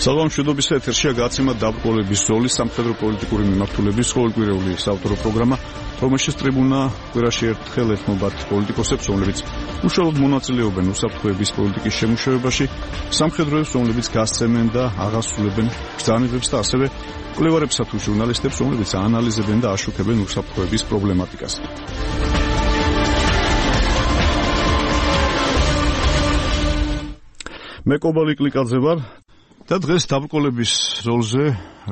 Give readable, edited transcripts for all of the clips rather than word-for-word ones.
სალამშვიდობისა ეთერშია გაცემა დაბრკოლების როლი სამხედრო პოლიტიკური მიმართულების ყოველკვირეული საავტორო პროგრამა, რომელშიც ტრიბუნა კვირაში ერთხელ ეთმობათ პოლიტიკოსებს, რომლებიც უშუალოდ მონაწილეობენ უსაფრთხოების პოლიტიკის შემუშავებაში, სამხედროებს, რომლებიც გასცემენ და აღასრულებენ ბრძანებებს და ასევე კვლევარებსა თუ ჟურნალისტებს, რომლებიც აანალიზებენ და აშუქებენ უსაფრთხოების პრობლემატიკას. მე კობალი კლიკაძე ვარ და დღეს დაბრკოლების როლზე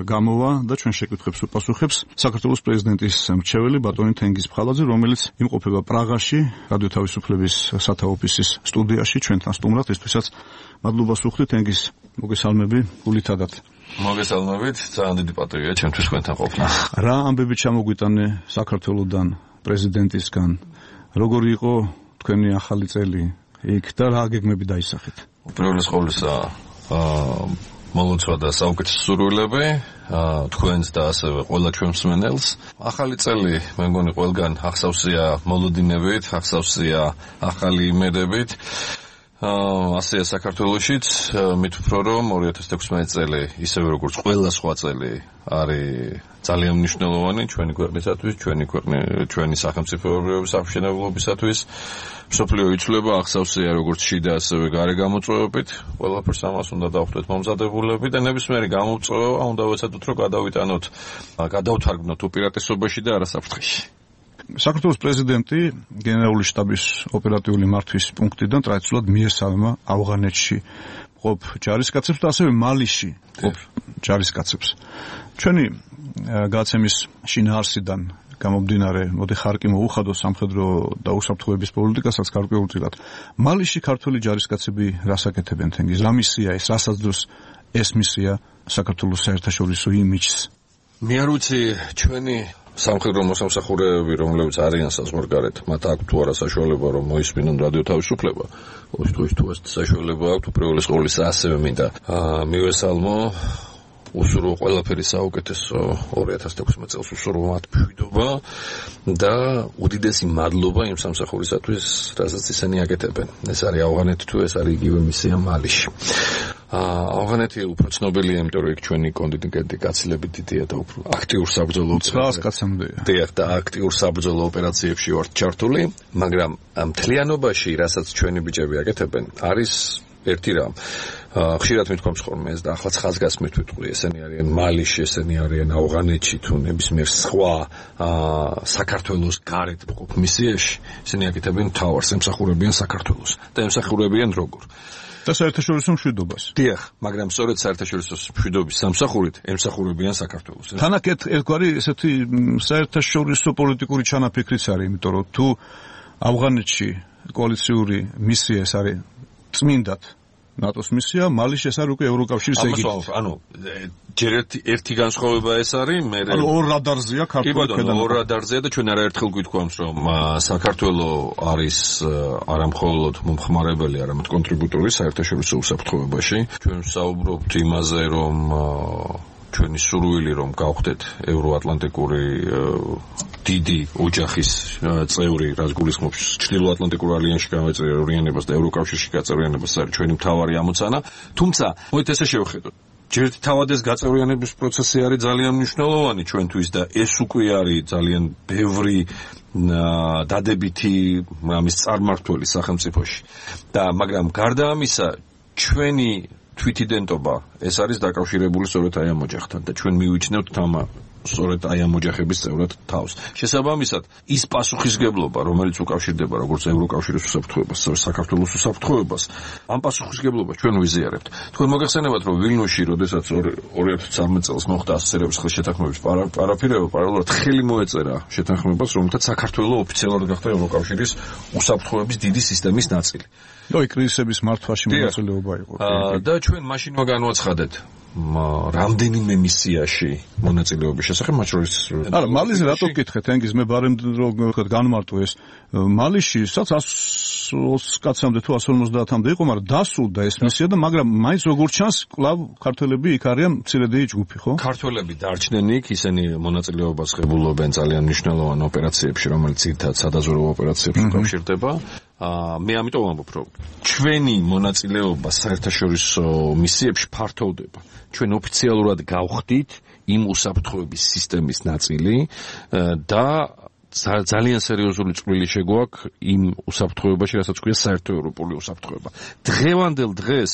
გამოვა და ჩვენ შეკითხვებს უპასუხებს საქართველოს პრეზიდენტის მრჩეველი ბატონი თენგიზ ფხალაძე, რომელიც იმყოფება პრაღაში, რადიო თავისუფლების სათავო ოფისის სტუდიაში ჩვენთან სტუმრად. ისთვისაც მადლობას ვუხდით, თენგიზ, მოგესალმები გულითადად. მოგესალმებით, ძალიან დიდი პატივია ჩემთვის თქვენთან ყოფნა. რა ამბები ჩამოგვიტანე საქართველოსდან, პრეზიდენტისგან? როგორი იყო თქვენი ახალი წელი იქ და რა გეგმები დაისახეთ? უპირველეს ყოვლისა მოლოცვა და საუკეთესო სურვილები თქვენს და ასევე ყველა ჩვენ მსმენელს. ახალი წელი მე მგონი ყველგან ახსავსია მოლოდინებით, ახსავსია ახალი იმედებით. ასეა საქართველოშიც, მით უფრო რომ 2016 წელი ისევე როგორც ყველა სხვა წელი არის ძალიან მნიშვნელოვანი ჩვენი ქვეყნისათვის, ჩვენი სახელმწიფოების აღშენებლობისათვის. მსოფლიო იცვლება, ახსავსია როგორც შიდა ასევე გარე გამოწვევებით. ყველაფერს ამას უნდა დავხვდეთ მომზადებულები და ნებისმიერი გამოწვევა უნდა ვეცადოთ რომ გადავთარგმნოთ უპირატესობაში და არა საფრთხეში. საქართველოს პრეზიდენტი გენერალური შტაბის ოპერატიული მართვის პუნქტიდან ტრადიციულად მიესალმა ავღანეთში მყოფ ჯარისკაცებს და ასევე მალიში მყოფ ჯარისკაცებს. ჩვენი გაცემის შინაარსიდან გამომდინარე, მოდი ხარკი მოუხადო სამხედრო და უსაფრთხოების პოლიტიკასაც გარკვეულწილად. მალიში ქართველი ჯარისკაცები რას აკეთებენ თენგიზ? რა მისია ეს? რასაც დროს ეს მისია საქართველოს საერთაშორისო იმიჯს? მე არ ვიცი ჩვენი სამხედრო მოსამსახურეები, რომლებიც არიან საზღვარგარეთ, მათ აქვთ თუ არა საშუალება რომ მოისმინონ რადიო თავისუფლება. ყოველთვის თუ ეს საშუალება აქვთ, უპირველეს ყოვლისა ასევე მინდა მივესალმო უსურვო ყველაფერი საუკეთესო 2016 წელს უსურვო მათ მშვიდობა და უდიდესი მადლობა იმ სამსახურისათვის, რასაც ისინი აკეთებენ. ეს არის ავღანეთი თუ ეს არის იგივე მისია მალიში. ავღანეთი უფრო ცნობილია, იმიტომ რომ იქ ჩვენი კონტინგენტი გაცილებით დიდია და უფრო აქტიურ საბრძოლო ოპერაციებში. და აქტიურ საბრძოლო ოპერაციებში ვართ ჩართული, მაგრამ მთლიანობაში, რასაც ჩვენი ბიჭები აკეთებენ, არის ერთი რამ. ხშირად მithქვამს ხოლმე ეს და ახლა ხაზგასმით ვიტყვი, ესენი არიან მალიში, ესენი არიან ავღანეთში თუ ნებისმიერ სხვა საქართველოს გარეთ მყოფ მისიაში, ესენი აკეთებენ მთავარს, ემსახურებიან საქართველოს და ემსახურებიან როგორ? და საერთაშორისო მშვიდობას. დიახ, მაგრამ სწორედ საერთაშორისო მშვიდობის სამსახურით ემსახურებიან საქართველოს. თანაკ ერთგვარი ესეთი საერთაშორისო პოლიტიკური ჩანაფიქრიც არის, იმიტომ რომ თუ ავღანეთში კოალიციური მისია ეს არის წმინდად ნატოს მისია, მალიში ეს არის უკვე ევროკავშირის ეგიდით. ანუ ჯერ ერთი განსხვავება ეს არის, მე ორ რადარზეა ქართული ქვედანაყოფი. ორ რადარზეა და ჩვენ არაერთხელ გვითქვამს, რომ საქართველოს არის არამხოლოდ მომხმარებელი, არამედ კონტრიბუტორი საერთაშორისო უსაფრთხოებაში. ჩვენ ვსაუბრობთ იმაზე, რომ ჩვენი სურვილი რომ გავხდეთ ევროატლანტიკური დიდი ოჯახის წევრი, რაც გულისხმობს ჩრდილოატლანტიკურ ალიანსში გამეწევრიანებას და ევროკავშირში გაწევრიანებას, არის ჩვენი მთავარი ამოცანა. თუმცა, მოით ესე შევხედოთ. ჯერთ თავად ეს გაწევრიანების პროცესი არის ძალიან მნიშვნელოვანი ჩვენთვის და ეს უკვე არის ძალიან ბევრი დადებითი ამის წარმმართველი სახელმწიფოში. და მაგრამ გარდა ამისა, ჩვენი თვითიდენტობა ეს არის დაკავშირებული სწორედ აი ამ ოჯახთან და ჩვენ მივიჩნევთ სწორედ აი ამ ოჯახების წევრად თავს. შესაბამისად, ის პასუხისგებლობა, რომელიც უკავშირდება როგორც ევროკავშირის უსაფრთხოებას, ასევე საქართველოს უსაფრთხოებას, ამ პასუხისგებლობას ჩვენ ვიზიარებთ. თქვენ მოგეხსენებათ, რომ ვილნიუსში, როდესაც 2013 წელს მოხდა ასოცირების ხელშეთანხმების პარაფირება, პარალელურად ხელი მოეწერა შეთანხმებას, რომელთაც საქართველოს ოფიციალურად გახდა ევროკავშირის უსაფრთხოების დიდი სისტემის ნაწილი. კრიზისების მართვაში მონაწილეობა იყო. და ჩვენ მაშინვე განვაცხადეთ რამდენიმე მისიაში მონაწილეობის შესახებ, მათ შორის არა, მალიზე რატო გკითხეთ, თენგიზ, მე ბარემ რომ განმარტო ეს მალიში, სადაც 120 კაცამდე თუ 150-მდე იყო, მაგრამ დასულდა ეს მისია და მაგრამ მაინც როგორც ჩანს, კვლავ ქართველები იქ არიან მცირედეი ჯგუფი, ხო? ქართველები დარჩნენ იქ, ისინი მონაწილეობას ღებულობენ ძალიან მნიშვნელოვან ოპერაციებში, რომელიც ძირითადად სადაზვერვო ოპერაციებში უკავშირდება. მე ამიტომ ვამბობ, რომ ჩვენი მონაწილეობა საერთაშორისო მისიებში ფართოვდება. ჩვენ ოფიციალურად გავხდით იმ უსაფრთხოების სისტემის ნაწილი და ძალიან სერიოზული წვლილი შეგვაქვს იმ უსაფრთხოებაში, რასაც ქვია საერთო ევროპული უსაფრთხოება. დღევანდელ დღეს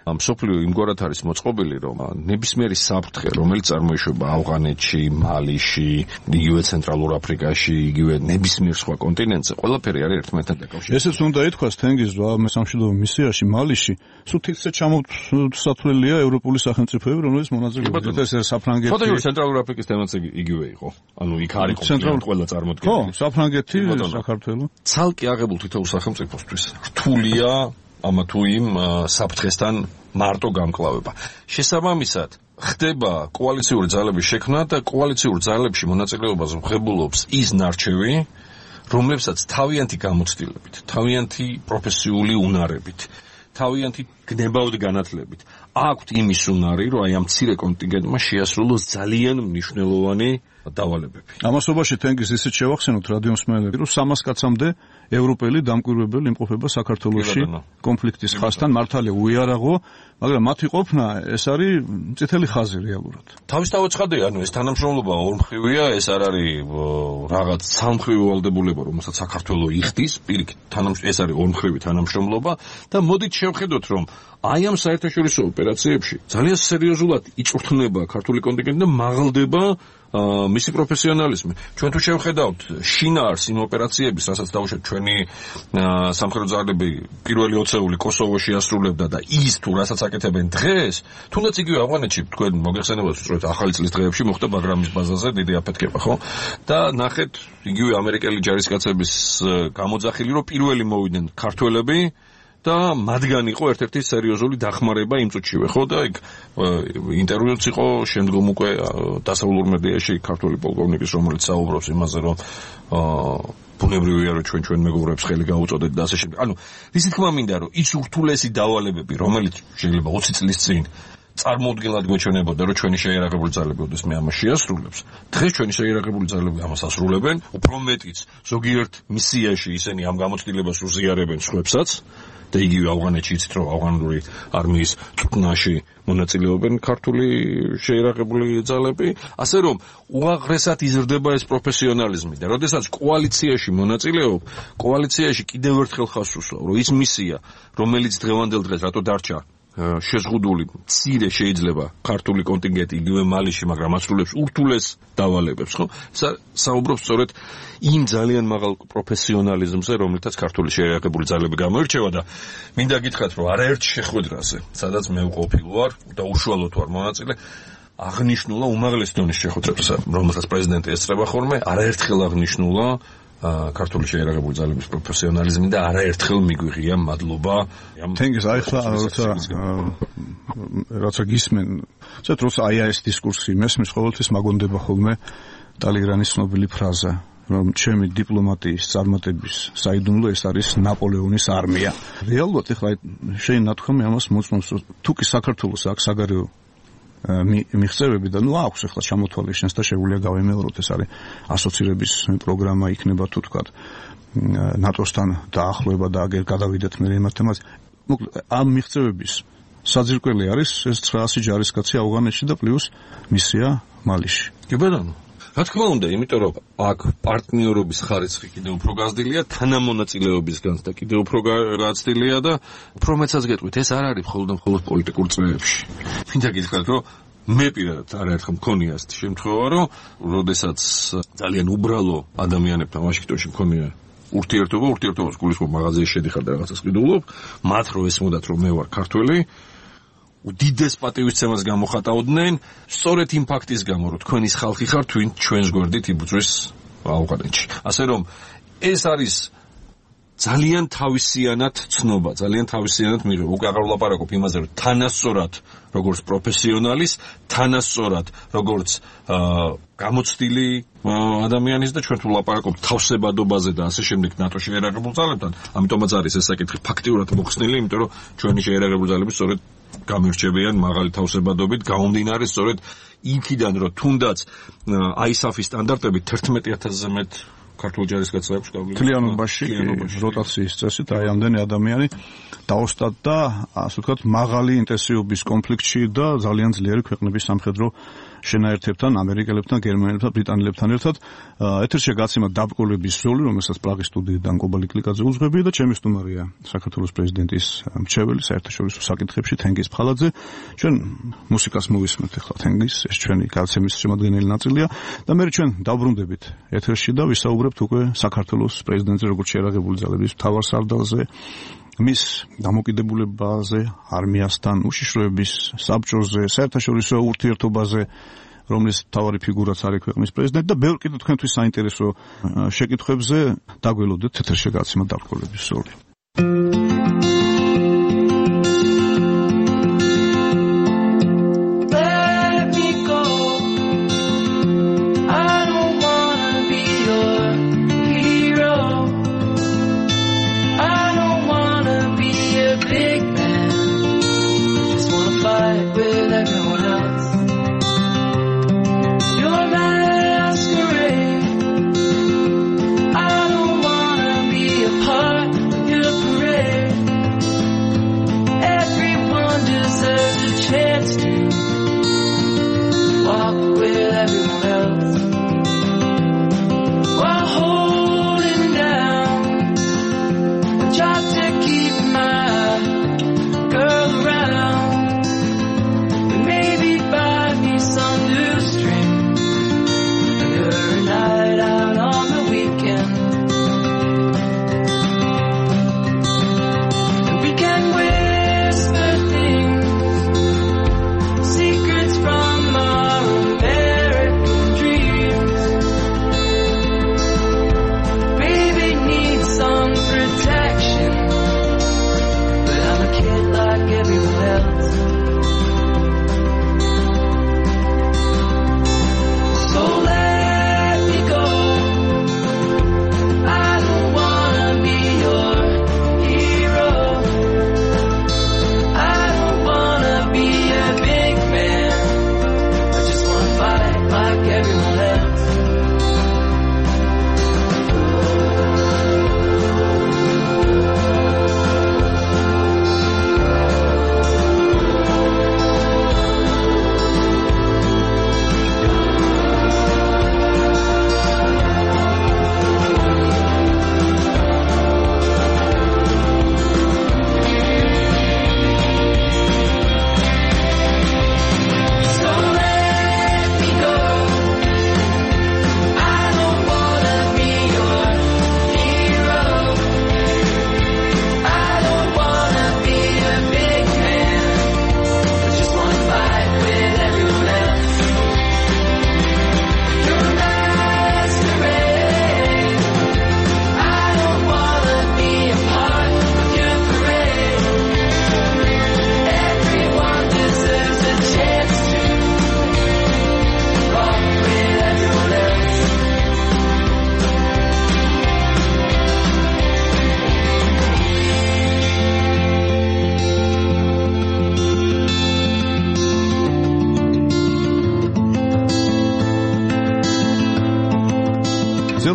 მსოფლიო იმგვარად არის მოწყობილი, რომ ნებისმიერი საფრთხე, რომელიც წარმოიშვება ავღანეთში, მალიში, იგივე ცენტრალურ აფრიკაში, იგივე ნებისმიერ სხვა კონტინენტზე, ყველაფერი არის ერთმანეთთან დაკავშირებული. ესეც უნდა ითქვას თენგიზ სამშვიდობო მისიაში, მალიში, სულ თითქოს ჩამოსათვლელია ევროპული სახელმწიფოები, რომელიც მონაწილეობენ. ეს საფრანგეთი. ფოტოში ცენტრალურ აფრიკის თემაც იგივე იყო. ანუ იქ არის ყველა წარმოდგენილი. ხო, საფრანგეთი, საქართველო. ცალკე აღებულ თითოეულ სახელმწიფოსთვის რთულია ამა თუ იმ საფრთხესთან მარტო გამკლავება. შესაბამისად, ხდება კოალიციური ძალების შექმნა და კოალიციური ძალებში მონაწილეობას ღებულობს ის ნარჩევი, რომლებსაც თავიანთი გამოცდილებით, თავიანთი პროფესიული უნარებით, თავიანთი გნებავთ განათლებით აქვთ იმის უნარი, რომ აი ამ მცირე კონტინგენტმა შეასრულოს ძალიან მნიშვნელოვანი დავალებები. ამასობაში თენგიზ ისიც შევახსენოთ რადიომსმენელები, რომ 300 კაცამდე ევროპელი დამკვირვებელი იმყოფება საქართველოში კონფლიქტის ხაზთან, მართალია უიარაღო, მაგრამ მათი ყოფნა ეს არის წითელი ხაზი რეალურად. თავისთავად ცხადია, ანუ ეს თანამშრომლობა ორმხრივია, ეს არ არის რაღაც სამხრივი ვალდებულება, რომელსაც საქართველოს იხდის, პირიქით, ეს არის ორმხრივი თანამშრომლობა და მოდით შევხედოთ, რომ აი ამ საერთაშორისო ოპერაციებში ძალიან სერიოზულად იწვრთნება ქართული კონტინგენტი და მაღლდება მისი პროფესიონალიზმი. ჩვენ თუ შევხედავთ შინაარს იმ ოპერაციების, რასაც დავუშვათ ჩვენი სამხედრო ძალები პირველი 20-ეული კოსოვოში ასრულებდა და ის თუ რასაც აკეთებენ დღეს, თუნდაც იგივე ავღანეთში თქვენ მოგეხსენებათ უბრალოდ ახალი წლის დღეებში მოხდა ბაგრამის ბაზაზე დიდი აფეთქება, ხო? და ნახეთ იგივე ამერიკელი ჯარისკაცების გამოძახილი, რომ პირველი მოვიდნენ ქართველები და მათგან იყო ერთ-ერთი სერიოზული დახმარება იმ წუთშივე, ხო და იქ ინტერვიუც იყო შემდგომ უკვე დასავლურ მედიაში ქართული პოლკოვნიკის, რომელიც საუბრობს იმაზე, რომ ბუნებრივია, რომ ჩვენ მეგობრებს ხელი გაუწოდეთ და ასე შემდეგ. ანუ ისი თქმა მინდა, რომ ის ურთულესი დავალებები, რომელიც შეიძლება 20 წლის წინ წარმოუდგენლად გვეჩვენებოდა, რომ ჩვენი შეიარაღებული ძალები ოდესმე ამას შეასრულებს. დღეს ჩვენი შეიარაღებული ძალები ამას ასრულებენ, უფრო მეტიც ზოგიერთ მისიაში ისინი ამ გამოცდილებას უზიარებენ სხვებსაც. და იგივე ავღანეთში იცით, რომ ავღანური არმიის წვრთნაში მონაწილეობენ ქართული შეიარაღებული ძალები, ასე რომ უაღრესად იზრდება ეს პროფესიონალიზმი და როდესაც კოალიციაში მონაწილეობ, კოალიციაში კიდევ ერთხელ ხაზს უსვამ, რომ ის მისია, რომელიც დღევანდელ დღეს რატო დარჩა შეზღუდული, მცირე შეიძლება ქართული კონტინგენტი იგივე მალიში, მაგრამ ასრულებს ურთულეს დავალებებს, ხო? საუბრობს სწორედ იმ ძალიან მაღალ პროფესიონალიზმზე, რომელთაც ქართული შეიარაღებული ძალები გამოირჩევა და მინდა გითხრათ, რომ არაერთ შეხვედრაზე, სადაც მე უყოფილ ვარ და უშუალოდ ვარ მონაწილე, აღნიშნულა უმაღლეს დონის შეხვედრებზე, რომელსაც პრეზიდენტი ესწრება ხოლმე, არაერთხელ აღნიშნულა ქართული შეიარაღებული ძალების პროფესიონალიზმი და არაერთხელ მიგვიღია მადლობა. თენგიზ აი ხლა როცა გისმენ, ზედ როცა აი ეს დისკურსი მესმის ყოველთვის მაგონდება ხოლმე ტალეირანის ცნობილი ფრაზა, რომ ჩემი დიპლომატიის წარმატების საიდუმლო ეს არის ნაპოლეონის არმია. რეალურად ხლა შენ ნათქვამი ამას მოწმობს, თუ კი საქართველოს აქვს საგარეო მიღწევები და აქვს ახლა ჩამოთვალე შენს და შეგვიძლია გავემეოროთ, ეს არის ასოცირების პროგრამა იქნება თუ თქვა ნატოსთან დაახლოება და აგერ გადავიდეთ მე იმ თემაზე. მოკლედ ამ მიღწევების საძირკველი არის ეს 900 ჯარისკაცი ავღანეთში და პლუს მისია მალიში. კი ბატონო. რა თქმა უნდა, იმიტომ რომ აქ პარტნიორობის ხარისხი კიდევ უფრო გაზრდილია, თანამონაწილეობისგან და კიდევ უფრო გაზრდილია და უფრო მეცაც გეტყვით, ეს არ არის მხოლოდ პოლიტიკურ წრეებში. მინდა გითხრათ, რომ მე პირადად არაერთხელ მქონია ასეთი შემთხვევა, რომ როდესაც ძალიან უბრალო ადამიანებთან ვაშინგტონში მქონია ურთიერთობას გულისხმობ მაღაზიაში შედიხარ და რაღაცას ყიდულობ, მათ რო ესმოდათ, რომ მე ვარ ქართველი, უდიდეს პატივისცემას გამოხატავდნენ, სწორედ იმ ფაქტის გამო, რომ თქვენ ის ხალხი ხართ, ჩვენს გვერდით იბრძვის ავღანეთში. ასე რომ ეს არის ძალიან თავისიანად ცნობა, ძალიან თავისიანად მიღება. უკვე აღარ ვლაპარაკობ იმაზე, რომ თანასწორად როგორც პროფესიონალის, თანასწორად როგორც გამოცდილი ადამიანის და ჩვენ თუ ვლაპარაკობთ თავსებადობაზე და ასე შემდეგ ნატოში შეერაგებულ ძალებთან, ამიტომაც არის ეს საკითხი ფაქტიურად მოხსნილი, იმიტომ რომ ჩვენი შეერაგებული ძალები სწორედ გამირჩევიან მაღალი თავსებადობით, გამომდინარე სწორედ იქიდან, რომ თუნდაც ISAF-ის სტანდარტებით 11,000-ზე მეტ ქართულ ჯარისკაცებს მთლიანობაში როტაციის წესით აი ამდენი ადამიანი დაოსტატდა, ასე ვთქვათ, მაღალი ინტენსივობის კონფლიქტში და ძალიან ძლიერი ქვეყნების სამხედრო შენაერთებთან, ამერიკელებთან, გერმანელებთან, ბრიტანელებთან ერთად. ეთერში გაცემა დაბრკოლების ზოლი, რომელსაც პრაღის სტუდიიდან კობალი კლიკაძე უძღვებია და ჩემი სტუმარია საქართველოს პრეზიდენტის მრჩეველი საერთაშორისო საკითხებში თენგიზ ფხალაძე. ჩვენ მუსიკას მოვისმენთ ახლა თენგიზ, ეს ჩვენი გაცემის შემადგენელი ნაწილია და მე ჩვენ დავბრუნდებით ეთერში და ვისაუბრებთ უკვე საქართველოს პრეზიდენტზე, როგორც შეერაგებული ძალების მთავარსარდალზე, მის დამოკიდებულებაზე არმიასთან, უშიშროების საბჭოზე, საერთაშორისო ურთიერთობაზე, რომლის მთავარი ფიგურაც არის ქვეყნის პრეზიდენტი და ბევრ კიდევ თქვენთვის საინტერესო შეკითხვებზე დაგველოდეთ ეთერში გაცემა დაბრკოლების ზოლი.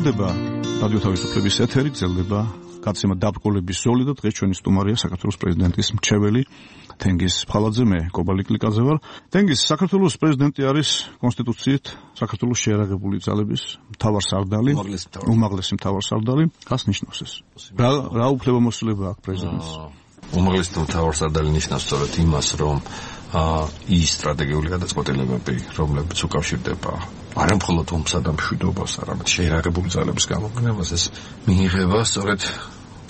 გრძელდება რადიო თავისუფლების ეთერი, გრძელდება გაცემა დაბრკოლების ზოლი და დღეს ჩვენი სტუმარია საქართველოს პრეზიდენტის მრჩეველი თენგიზ ფხალაძე, მე კობალი კლიკაძე ვარ. თენგიზ, საქართველოს პრეზიდენტი არის კონსტიტუციით საქართველოს შეერაგებული ძალების მთავარსარდალი, უმაღლესი მთავარსარდალი. რას ნიშნავს ეს? რა უფლებამოსილება აქვს პრეზიდენტს? უმაღლესი მთავარსარდალი ნიშნავს სწორედ იმას, რომ ის სტრატეგიული გადაწყვეტილებები, რომლებიც უკავშირდება არა მხოლოდ ომსა და მშვიდობას, არამედ შეერაგებული ძალების გამოგონებას, ეს მიიღება სწორედ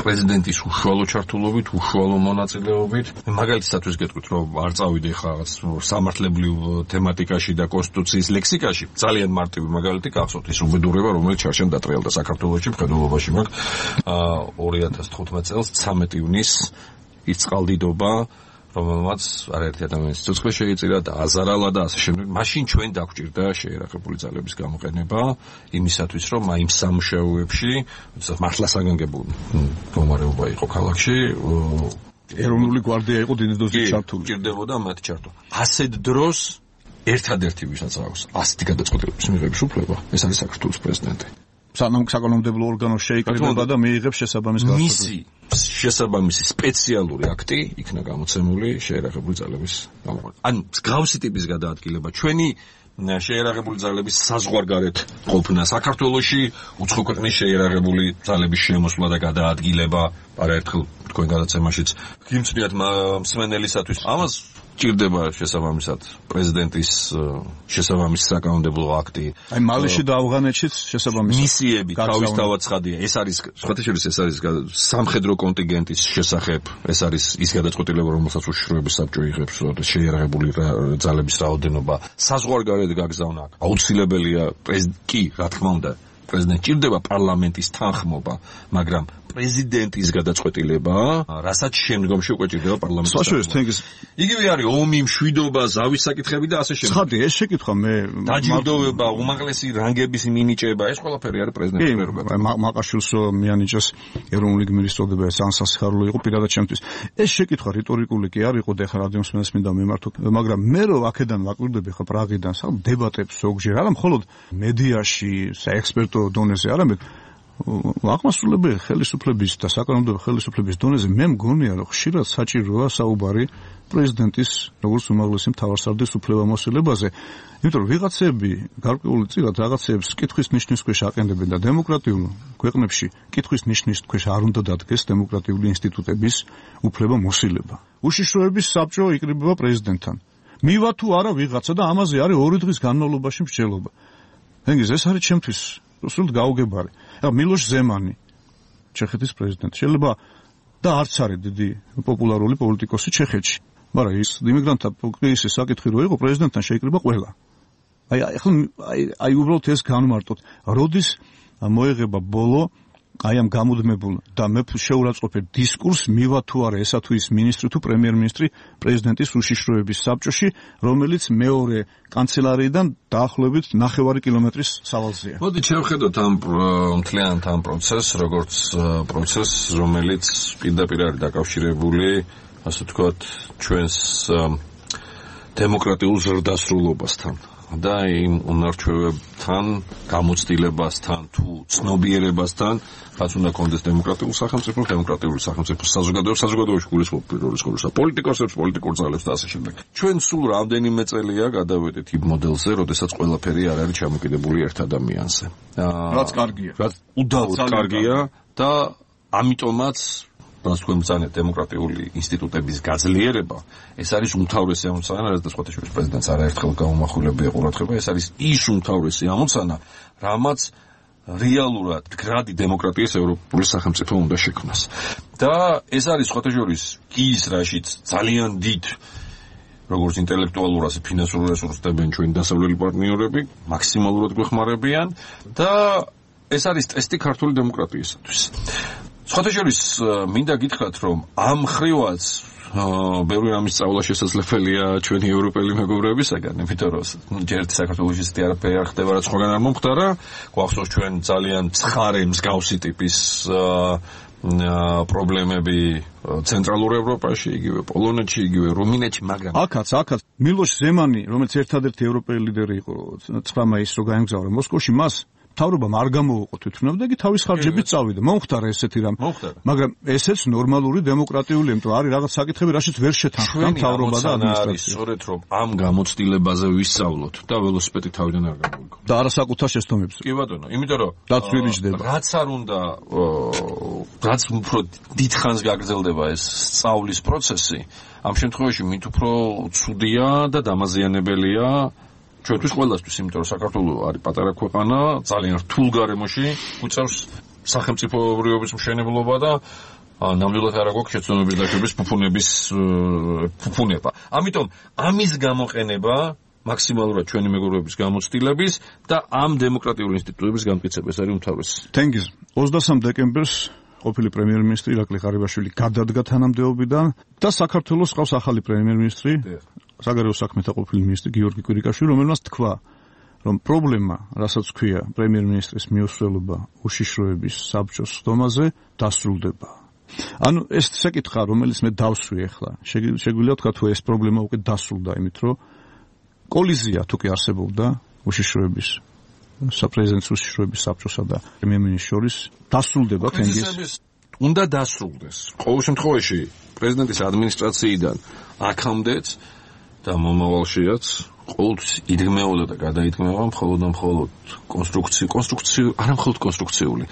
პრეზიდენტის უშუალო ჩართულობით, უშუალო მონაწილეობით. მაგალითისათვის გეტყვით, რომ არ წავიდე ხა რაღაც სამართლებრივ თემატიკაში და კონსტიტუციის ლექსიკაში. ძალიან მარტივი მაგალითი გახსოვთ ის უბედურება, რომელიც ჩარჩენ დატრიალდა საქართველოში მხედველობაში მაგ 2015 წელს 13 ივნისს ის წყალდიდობა, რომელმაც არაერთი ადამიანის სიცოცხლე შეიწირა და აზარალა და ასე შემდეგ. მაშინ ჩვენ დაგვჭირდა შეერაღებული ძალების გამოყენება იმისათვის, რომ აი იმ სამუშაოებში, როდესაც მართლა საგანგებო მდგომარეობა იყო ქალაქში, ეროვნული გვარდია იყო დიდი დოზით ჩართული. ჭირდებოდა მათ ჩართვა. ასეთ დროს ერთადერთი ვისაც აქვს ასეთი გადაწყვეტილების მიღების უფლება, ეს არის საქართველოს პრეზიდენტი. საკანონმდებლო ორგანო შეიკრიბება და მიიღებს შესაბამის განცხადება. მისი შესაბამისი სპეციალური აქტი იქნა გამოცემული შეერაღებული ძალების გამოყენება. ან მსგავსი ტიპის გადაადგილება ჩვენი შეერაღებული ძალების საზღვარგარეთ ყოფნა საქართველოში უცხო ქვეყნის შეერაღებული ძალების შემოსვლა და გადაადგილება არაერთხელ თქვენ გადაცემაშიც გიმცნიათ მსმენელისათვის ამას ჭირდება შესაბამისად პრეზიდენტის შესაბამისი საკანონმდებლო აქტი. აი მალიში და ავღანეთშიც შესაბამისი მისიები თავისთავად ცხადია. ეს არის სხვათაშორის ეს არის სამხედრო კონტინგენტის შესახებ, ეს არის ის გადაწყვეტილება, რომელსაც უშიშროების საბჭო იღებს, შეერაღებული ძალების რაოდენობა საზღვარგარეთ გაგზავნა. აუცილებელია კი, რა თქმა უნდა, პრეზიდენტს ჭირდება პარლამენტის თანხმობა, მაგრამ პრეზიდენტის გადაწყვეტილება, რასაც შემდგომში უკვე ჭირდება პარლამენტის თანხმობა. იგივე არის ომი, მშვიდობა, ზავის საკითხები და ასე შემდეგ. ცხადია, ეს შეკითხვა მე დაჯილდოება, უმაღლესი რანგების მინიჭება, ეს ყველაფერი არის პრეზიდენტის პრეროგატივა. მაყაშვილს მიანიჭეს ეროვნული გმირის წოდება, ეს ანსასიხარულო იყო პირადად ჩემთვის. ეს შეკითხვა რიტორიკული კი არ იყო და ხა რადიოსმენელს მინდა მიმართო, მაგრამ მე რო აქედან ვაკვირდები ხა პრაღიდან, სამ დებატებს ზოგჯერ, არა მხოლოდ მედიაში, საექსპერტო დონეზე, არამედ აღმასრულებელი ხელისუფლების და საკანონმდებლო ხელისუფლების დონეზე მე მგონია რომ ხშირად საჭიროა საუბარი პრეზიდენტის როგორც უმაღლესი მთავარსარდლის უფლებამოსილებაზე, იმიტომ რომ ვიღაცები გარკვეული წილად რაღაცებს კითხვის ნიშნის ქვეშ აყენებენ და დემოკრატიულ ქვეყნებში კითხვის ნიშნის ქვეშ არ უნდა დადგეს დემოკრატიული ინსტიტუტების უფლებამოსილება. უშიშროების საბჭო იკრიბება პრეზიდენტთან. მივა თუ არა ვიღაცა და ამაზე არის 2 დღის განმავლობაში მსჯელობა. ეს არის ჩემთვის სულ გაუგებარი. მილოშ ზემანი, ჩეხეთის პრეზიდენტი, შეიძლება და არც არის დიდი პოპულარული პოლიტიკოსი ჩეხეთში, მაგრამ ის იმიგრანტთა კრიზისის საკითხი რო იყო, პრეზიდენტთან შეიკრიბა ყველა. აი უბრალოდ ეს განმარტოთ, როდის მოეღება ბოლო აი ამ გამუდმებულ და მე შეურაცხყოფებ დისკურს მივა თუ არა ესა თუ ის მინისტრი თუ პრემიერ-მინისტრი პრეზიდენტის უშიშროების საბჭოში, რომელიც მეორე კანცელარიიდან დაახლოებით 9 კილომეტრის სავალზეა. მოდით შევხედოთ ამ მთლიანად ამ პროცესს, როგორც პროცესს, რომელიც პირდაპირ არის დაკავშირებული, ასე ვთქვათ, ჩვენს დემოკრატიულ ზრდასრულობასთან. და იმ უნარჩვევებთან, გამოცდილებასთან თუ ცნობიერებასთან, რაც უნდა კონდეს დემოკრატიულ სახელმწიფოს, დემოკრატიული სახელმწიფოს საზოგადოებაში გულისხმობ პირველ რიგში პოლიტიკოსებს, პოლიტიკურ ძალებს და ასე შემდეგ. ჩვენ სულ რამდენიმე წელია გადავედით იმ მოდელზე, როდესაც ყველაფერი არ არის ჩამოკიდებული ერთ ადამიანზე. რაც კარგია. რაც უდავოდ კარგია და ამიტომაც რაც თქვენ ბრძანეთ დემოკრატიული ინსტიტუტების გაძლიერება, ეს არის უმთავრესი ამოცანა, რაც სხვათაშორის პრეზიდენტს არაერთხელ გაუმახვილებია ყურადღება, ეს არის ის უმთავრესი ამოცანა, რამაც რეალურად მდგრადი დემოკრატიის ევროპული სახელმწიფო უნდა შექმნას. და ეს არის სხვათაშორის ის რაშიც ძალიან დიდ როგორც ინტელექტუალურ, ასე ფინანსურ რესურსს დებენ ჩვენი დასავლელი პარტნიორები, მაქსიმალურად გვეხმარებიან და ეს არის ტესტი ქართული დემოკრატიისათვის. სხვათაშორის მინდა გითხრათ, რომ ამ ხრივაც ბევრი რამის სწავლა შესაძლებელია ჩვენი ევროპელი მეგობრებისაგან, იმიტომ რომ ჯერ საქართველოში ისეთი არაფერი არ ხდება, რაც სხვაგან არ მომხდარა. გვახსოვს ჩვენ ძალიან ცხარე მსგავსი ტიპის პრობლემები ცენტრალურ ევროპაში, იგივე პოლონეთში, იგივე რუმინეთში, მაგრამ აქაც მილოშ ზემანი, რომელიც ერთადერთი ევროპელი ლიდერი იყო 9 მაისს რო გაემგზავრა მოსკოვში, მას მთავრობამ არ გამოუყო თვითმფრინავი და იგი თავის ხარჯებით წავიდა. მომხდარა ესეთი რამ. მაგრამ ესეც ნორმალური დემოკრატიული, იმიტომ არის რაღაც საკითხები, რაშიც ვერ შეთანხმდა მთავრობა და ადმინისტრაცია. სწორედ რომ ამ გამოცდილებაზე ვისწავლოთ და ველოსიპედი თავიდან არ გამოვიგო. და არასაკუთარ შეცდომებზე. კი ბატონო, იმიტომ რომ დაცვირიჯდება. რაც არ უნდა, რაც უფრო დიდხანს გაგრძელდება ეს სწავლის პროცესი, ამ შემთხვევაში მით უფრო ცუდია და დამაზიანებელია ჩვენთვის ყველასთვის, იმიტომ რომ საქართველო არის პატარა ქვეყანა, ძალიან რთულ გარემოში უწევს სახელმწიფოებრიობის მშენებლობა და ნამდვილად არ აქვს შეცდომების დაშვების ფუფუნება. ამიტომ ამის გამოყენება მაქსიმალურად ჩვენი მეგობრების გამოცდილების და ამ დემოკრატიული ინსტიტუტების გამტკიცებას არის უმთავრესი. თენგიზ 23 დეკემბერს ყოფილი პრემიერ-მინისტრი ირაკლი ღარიბაშვილი გადადგა თანამდებობიდან და საქართველოს ყავს ახალი პრემიერ-მინისტრი, საგარეო საქმეთა ყოფილი მინისტრი გიორგი კვირიკაშვილი, რომელმაც თქვა, რომ პრობლემა, რასაც ქვია პრემიერ-მინისტრის მიუსვლელობა უშიშროების საბჭოს ხდომაზე, დასრულდება. ანუ ეს საკითხა, რომელიც მე დავსვი ახლა, შეგვიძლია თქვა თუ ეს პრობლემა უკვე დასრულდა, იმით რომ კოლიზია თუ კი არსებობდა უშიშროების საპრეზიდენტო უშიშროების საბჭოსა და პრემიერ-მინისტრს შორის დასრულდება თენგიზ. უნდა დასრულდეს. ყოველ შემთხვევაში პრეზიდენტის ადმინისტრაციიდან აქამდეც და მომავალშიაც ყოველთვის იდგმეოდა და გადაიდგმება მხოლოდ კონსტრუქციული, არა მხოლოდ კონსტრუქციული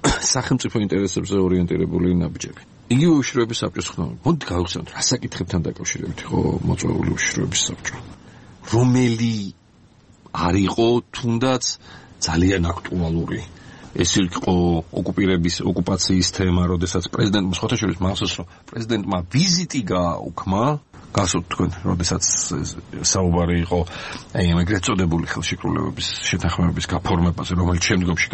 სახელმწიფო ინტერესებზე ორიენტირებული ნაბიჯები. იგივე უშიშროების საბჭოს ხდომა. მოდი გავხსენოთ, რა საკითხებთან დაკავშირებით იყო მოწვეული უშიშროების საბჭო. რომელი არ იყო თუნდაც ძალიან აქტუალური. ეს იყო ოკუპაციის თემა, როდესაც პრეზიდენტმა ხოთაშვილის მახსოვს, რომ პრეზიდენტმა ვიზიტი გააუქმა, გასულ თქვენ, როდესაც საუბარი იყო ეგრეთ წოდებული ხელშეკრულებების შეთანხმებების გაფორმებაზე, რომელიც შემდგომში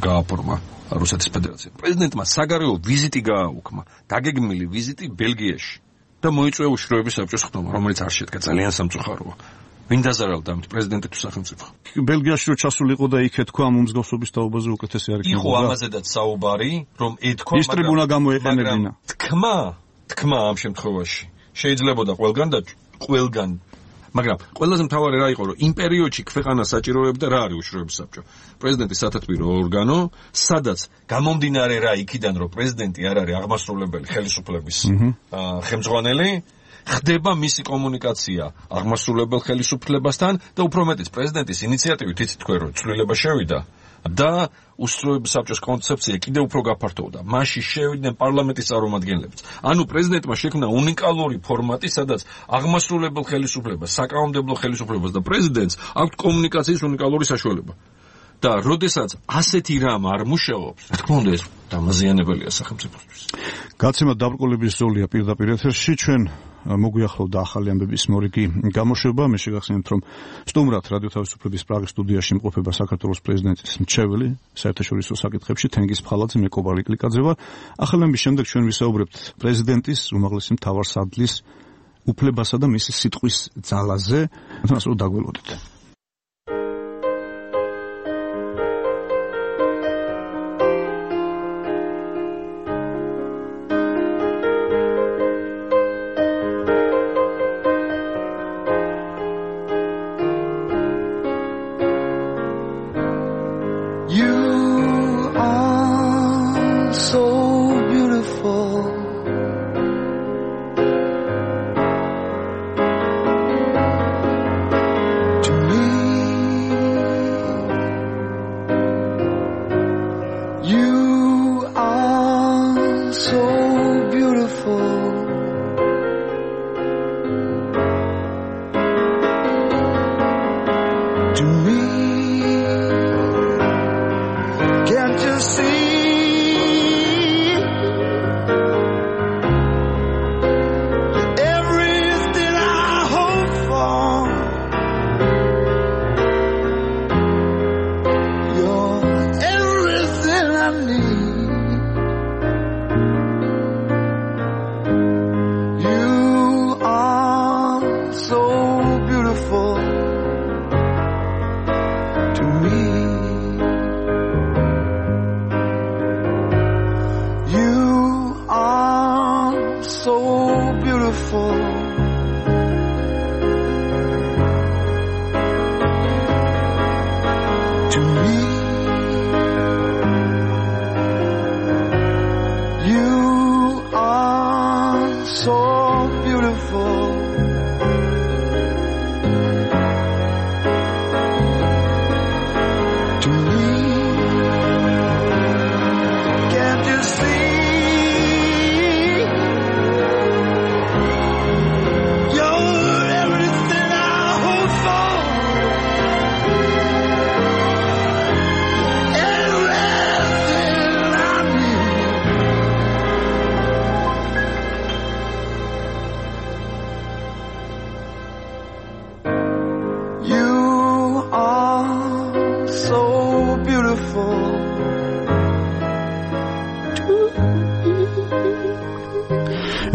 გააფორმა რუსეთის ფედერაცია. პრეზიდენტმა საგარეო ვიზიტი გააუქმა, დაგეგმილი ვიზიტი ბელგიაში და მოიწვია უშიშროების საბჭოს ხდომა, რომელიც არ შედგა, ძალიან სამწუხაროა. ვინ დაზარალდა ამით, პრეზიდენტი თუ სახელმწიფო? ბელგიაში რო ჩასულიყო და იქ ეთქვა ამ უმსგავსობის თაობაზე უკეთესი არ იქნება. იყო ამაზედაც საუბარი, რომ ეთქვა, მაგრამ ის ტრიბუნა გამოეყენებინა. თქმა ამ შემთხვევაში შეიძლებოდა ყველგან, მაგრამ ყველაზე მთავარი რა იყო, რომ იმ პერიოდში ქვეყანას საჭიროებდა რა არის უშიშროების საბჭო. პრეზიდენტის სათათბირო ორგანო, სადაც გამომდინარე რა იქიდან, რომ პრეზიდენტი არ არის აღმასრულებელი ხელისუფლების ხელმძღვანელი, ხდება მისი კომუნიკაცია აღმასრულებელ ხელისუფლებასთან და უფრო მეტიც პრეზიდენტის ინიციატივით იცით თქვენ რომ ცვლილება შევიდა და უშიშროების საბჭოს კონცეფცია კიდევ უფრო გაფართოვდა. მასში შევიდნენ პარლამენტის წარმომადგენლებიც. ანუ პრეზიდენტმა შექმნა უნიკალური ფორმატი, სადაც აღმასრულებელ ხელისუფლებას, საკანონმდებლო ხელისუფლებას და პრეზიდენტს აქვთ კომუნიკაციის უნიკალური საშუალება. და როდესაც ასეთი რამ არ მუშაობს, რა თქმა უნდა ეს დამაზიანებელია სახელმწიფოსთვის. გაცემა დაბრკოლების ზოლია პირდაპირ ეთერში ჩვენ მოგვიახლოვდა ახალი ამბების მორიგი გამოშვება. მე შეგახსენებთ, რომ სტუმრად რადიო თავისუფლების პრაღის სტუდიაში იმყოფება საქართველოს პრეზიდენტის მრჩეველი საერთაშორისო საკითხებში თენგიზ ფხალაძე, მე კობალი კლიკაძე ვარ. ახალი ამბის შემდეგ ჩვენ ვისაუბრებთ პრეზიდენტის უმაღლესი მთავარსარდლის უფლებასა და მისი სიტყვის ძალაზე. ასე რომ დაგველოდეთ.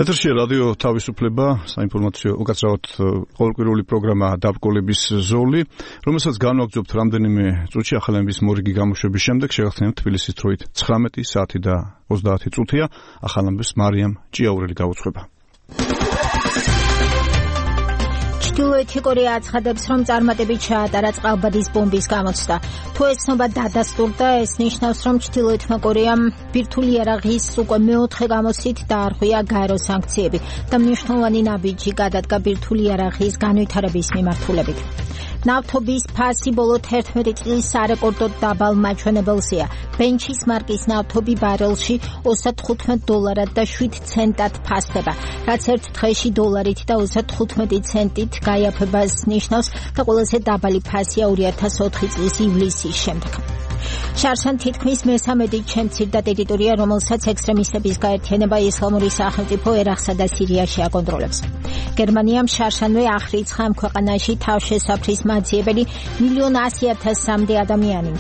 ეთერში რადიო თავისუფლება, საინფორმაციო უკაცრავად ყოველკვირეული პროგრამა დაბკოლების ზოლი, რომელსაც განვაგრძობთ რამდენიმე წუთში ახალების მორიგი გამოშვების შემდეგ შევახსენებთ თბილისის დროით 19 საათი და 30 წუთია ახალების მარიამ ჭიაურელი გაუცხება. ჩრდილოეთი კორეა აცხადებს, რომ წარმატებით ჩაატარა წყალბადის ბომბის გამოცდა. თუ ეს ცნობა დადასტურდა, ეს ნიშნავს, რომ ჩრდილოეთმა კორეამ ბირთვული იარაღის უკვე მეოთხე გამოცდით დაარღვია გაერო სანქციები და მნიშვნელოვანი ნაბიჯი გადადგა ბირთვული იარაღის განვითარების მიმართულებით. ნავთობის ფასი ბოლო 11 წლის სარეკორდოდ დაბალ მაჩვენებელზეა. ბენჩის მარკის ნავთობი ბარელში $35 და 7 ცენტად ფასდება, რაც ერთ დღეში $1 და 35 ცენტით გაიაფებას ნიშნავს და ყველაზე დაბალი ფასია 2004 წლის ივლისის შემდეგ. შარშან თითქმის მესამედი ჩემცირდა ტერიტორია, რომელსაც ექსტრემისტების გაერთიანება ისლამური სახელმწიფო ერაყსა და სირიაში აკონტროლებს. გერმანიამ შარშანვე ახრიცხა ამ ქვეყანაში თავშესაფრის მაძიებელი 1,100,000-მდე ადამიანი,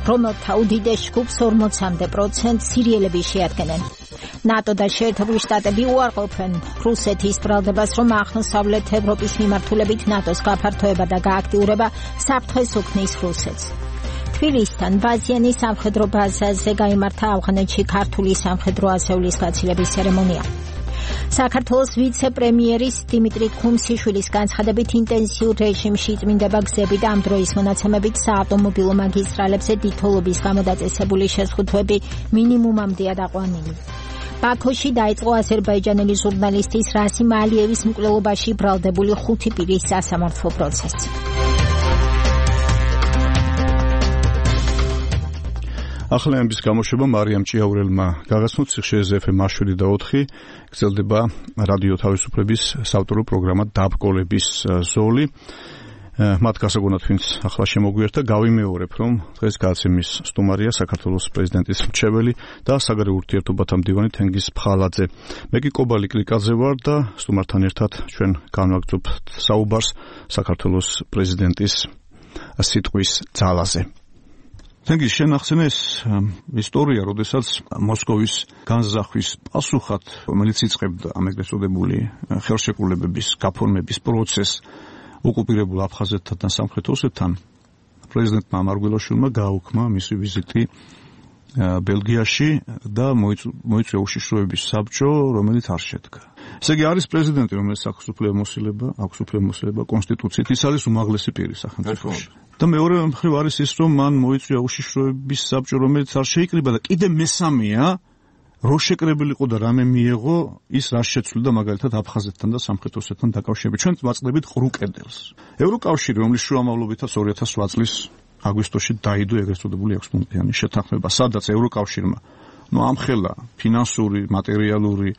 რომელთა უდიდეს ჯგუფს 40% სირიელები შეადგენენ. ნატო და შეერთებული შტატები უარყოფენ რუსეთის ბრალდებას, რომ აღმოსავლეთ ევროპის მიმართულებით ნატოს გაფართოება და გააქტიურება საფრთხეს უქმნის რუსეთს. თბილისთან ბაზიანის სამხედრო ბაზაზე გაიმართა ავღანეთში ქართული სამხედრო ასეულის გაცილების ცერემონია. საქართველოს ვიცე-პრემიერის დიმიტრი ქუმსიშვილის განცხადებით ინტენსიურ რეჟიმში წმინდება გზები და ამ დროის მონაცემებით საავტომობილო მაგისტრალებზე დიდთოლობის გამოდაწესებული შეზღუდვები მინიმუმამდეა დაყვანილი. ბაქოში დაიწყო აზერბაიჯანელი ჟურნალისტის რასიმ ალიევის მკვლელობაში ბრალდებული 5 პირის სასამართლო პროცესი. ახალების გამოშვება მარიამ ჭიაურელმა გაგაცნოთ სიხშირეზე FM მაშვილი და 4 გრძელდება რადიო თავისუფლების საავტორო პროგრამა დაბკოლების ზოლი. მათ გასაგონად ვინც ახლა შემოგვიერთდა, გავიმეორებ, რომ დღეს გადაცემის სტუმარია საქართველოს პრეზიდენტის მრჩეველი და საგარეო ურთიერთობათა მდივანი თენგიზ ფხალაძე. მე კი კობალი კლიკაძე ვარ და სტუმართან ერთად ჩვენ განვაგრძობთ საუბარს საქართველოს პრეზიდენტის სიტყვის ძალაზე. თენგიზ, შენ ახსენე ეს ისტორია, როდესაც მოსკოვის განზახვის პასუხად, რომელიც იწყებდა ამ ეგრეთ წოდებული ხელშეკრულებების გაფორმების პროცესს ოკუპირებულ აფხაზეთთან და სამხრეთ ოსეთთან, პრეზიდენტმა ამარგველაშვილმა გააუქმა მისი ვიზიტი ბელგიაში და მოიწვია უშიშროების საბჭო, რომელიც არ შედგა. ესე იგი არის პრეზიდენტი, რომელსაც აქვს უფლება კონსტიტუციით, ის არის უმაღლესი პირი სახელმწიფოში. და მეორე მხრივ არის ის, რომ მან მოიწვია უშიშროების საბჭო, რომელიც არ შეიკრიბა და კიდე მესამეა, რო შეკრებილი იყო და რამე მიეღო, ის რა შეცვლიდა მაგალითად აფხაზეთთან და სამხრეთ ოსეთთან დაკავშირებით. ჩვენ ვაწყდებით ყრუ კედელს. ევროკავშირი, რომლის შუამავლობითაც 2008 წლის აგვისტოში დაიდო ეგრეთ წოდებული 6 პუნქტიანი შეთანხმება, სადაც ევროკავშირმა ამხელა ფინანსური, მატერიალური,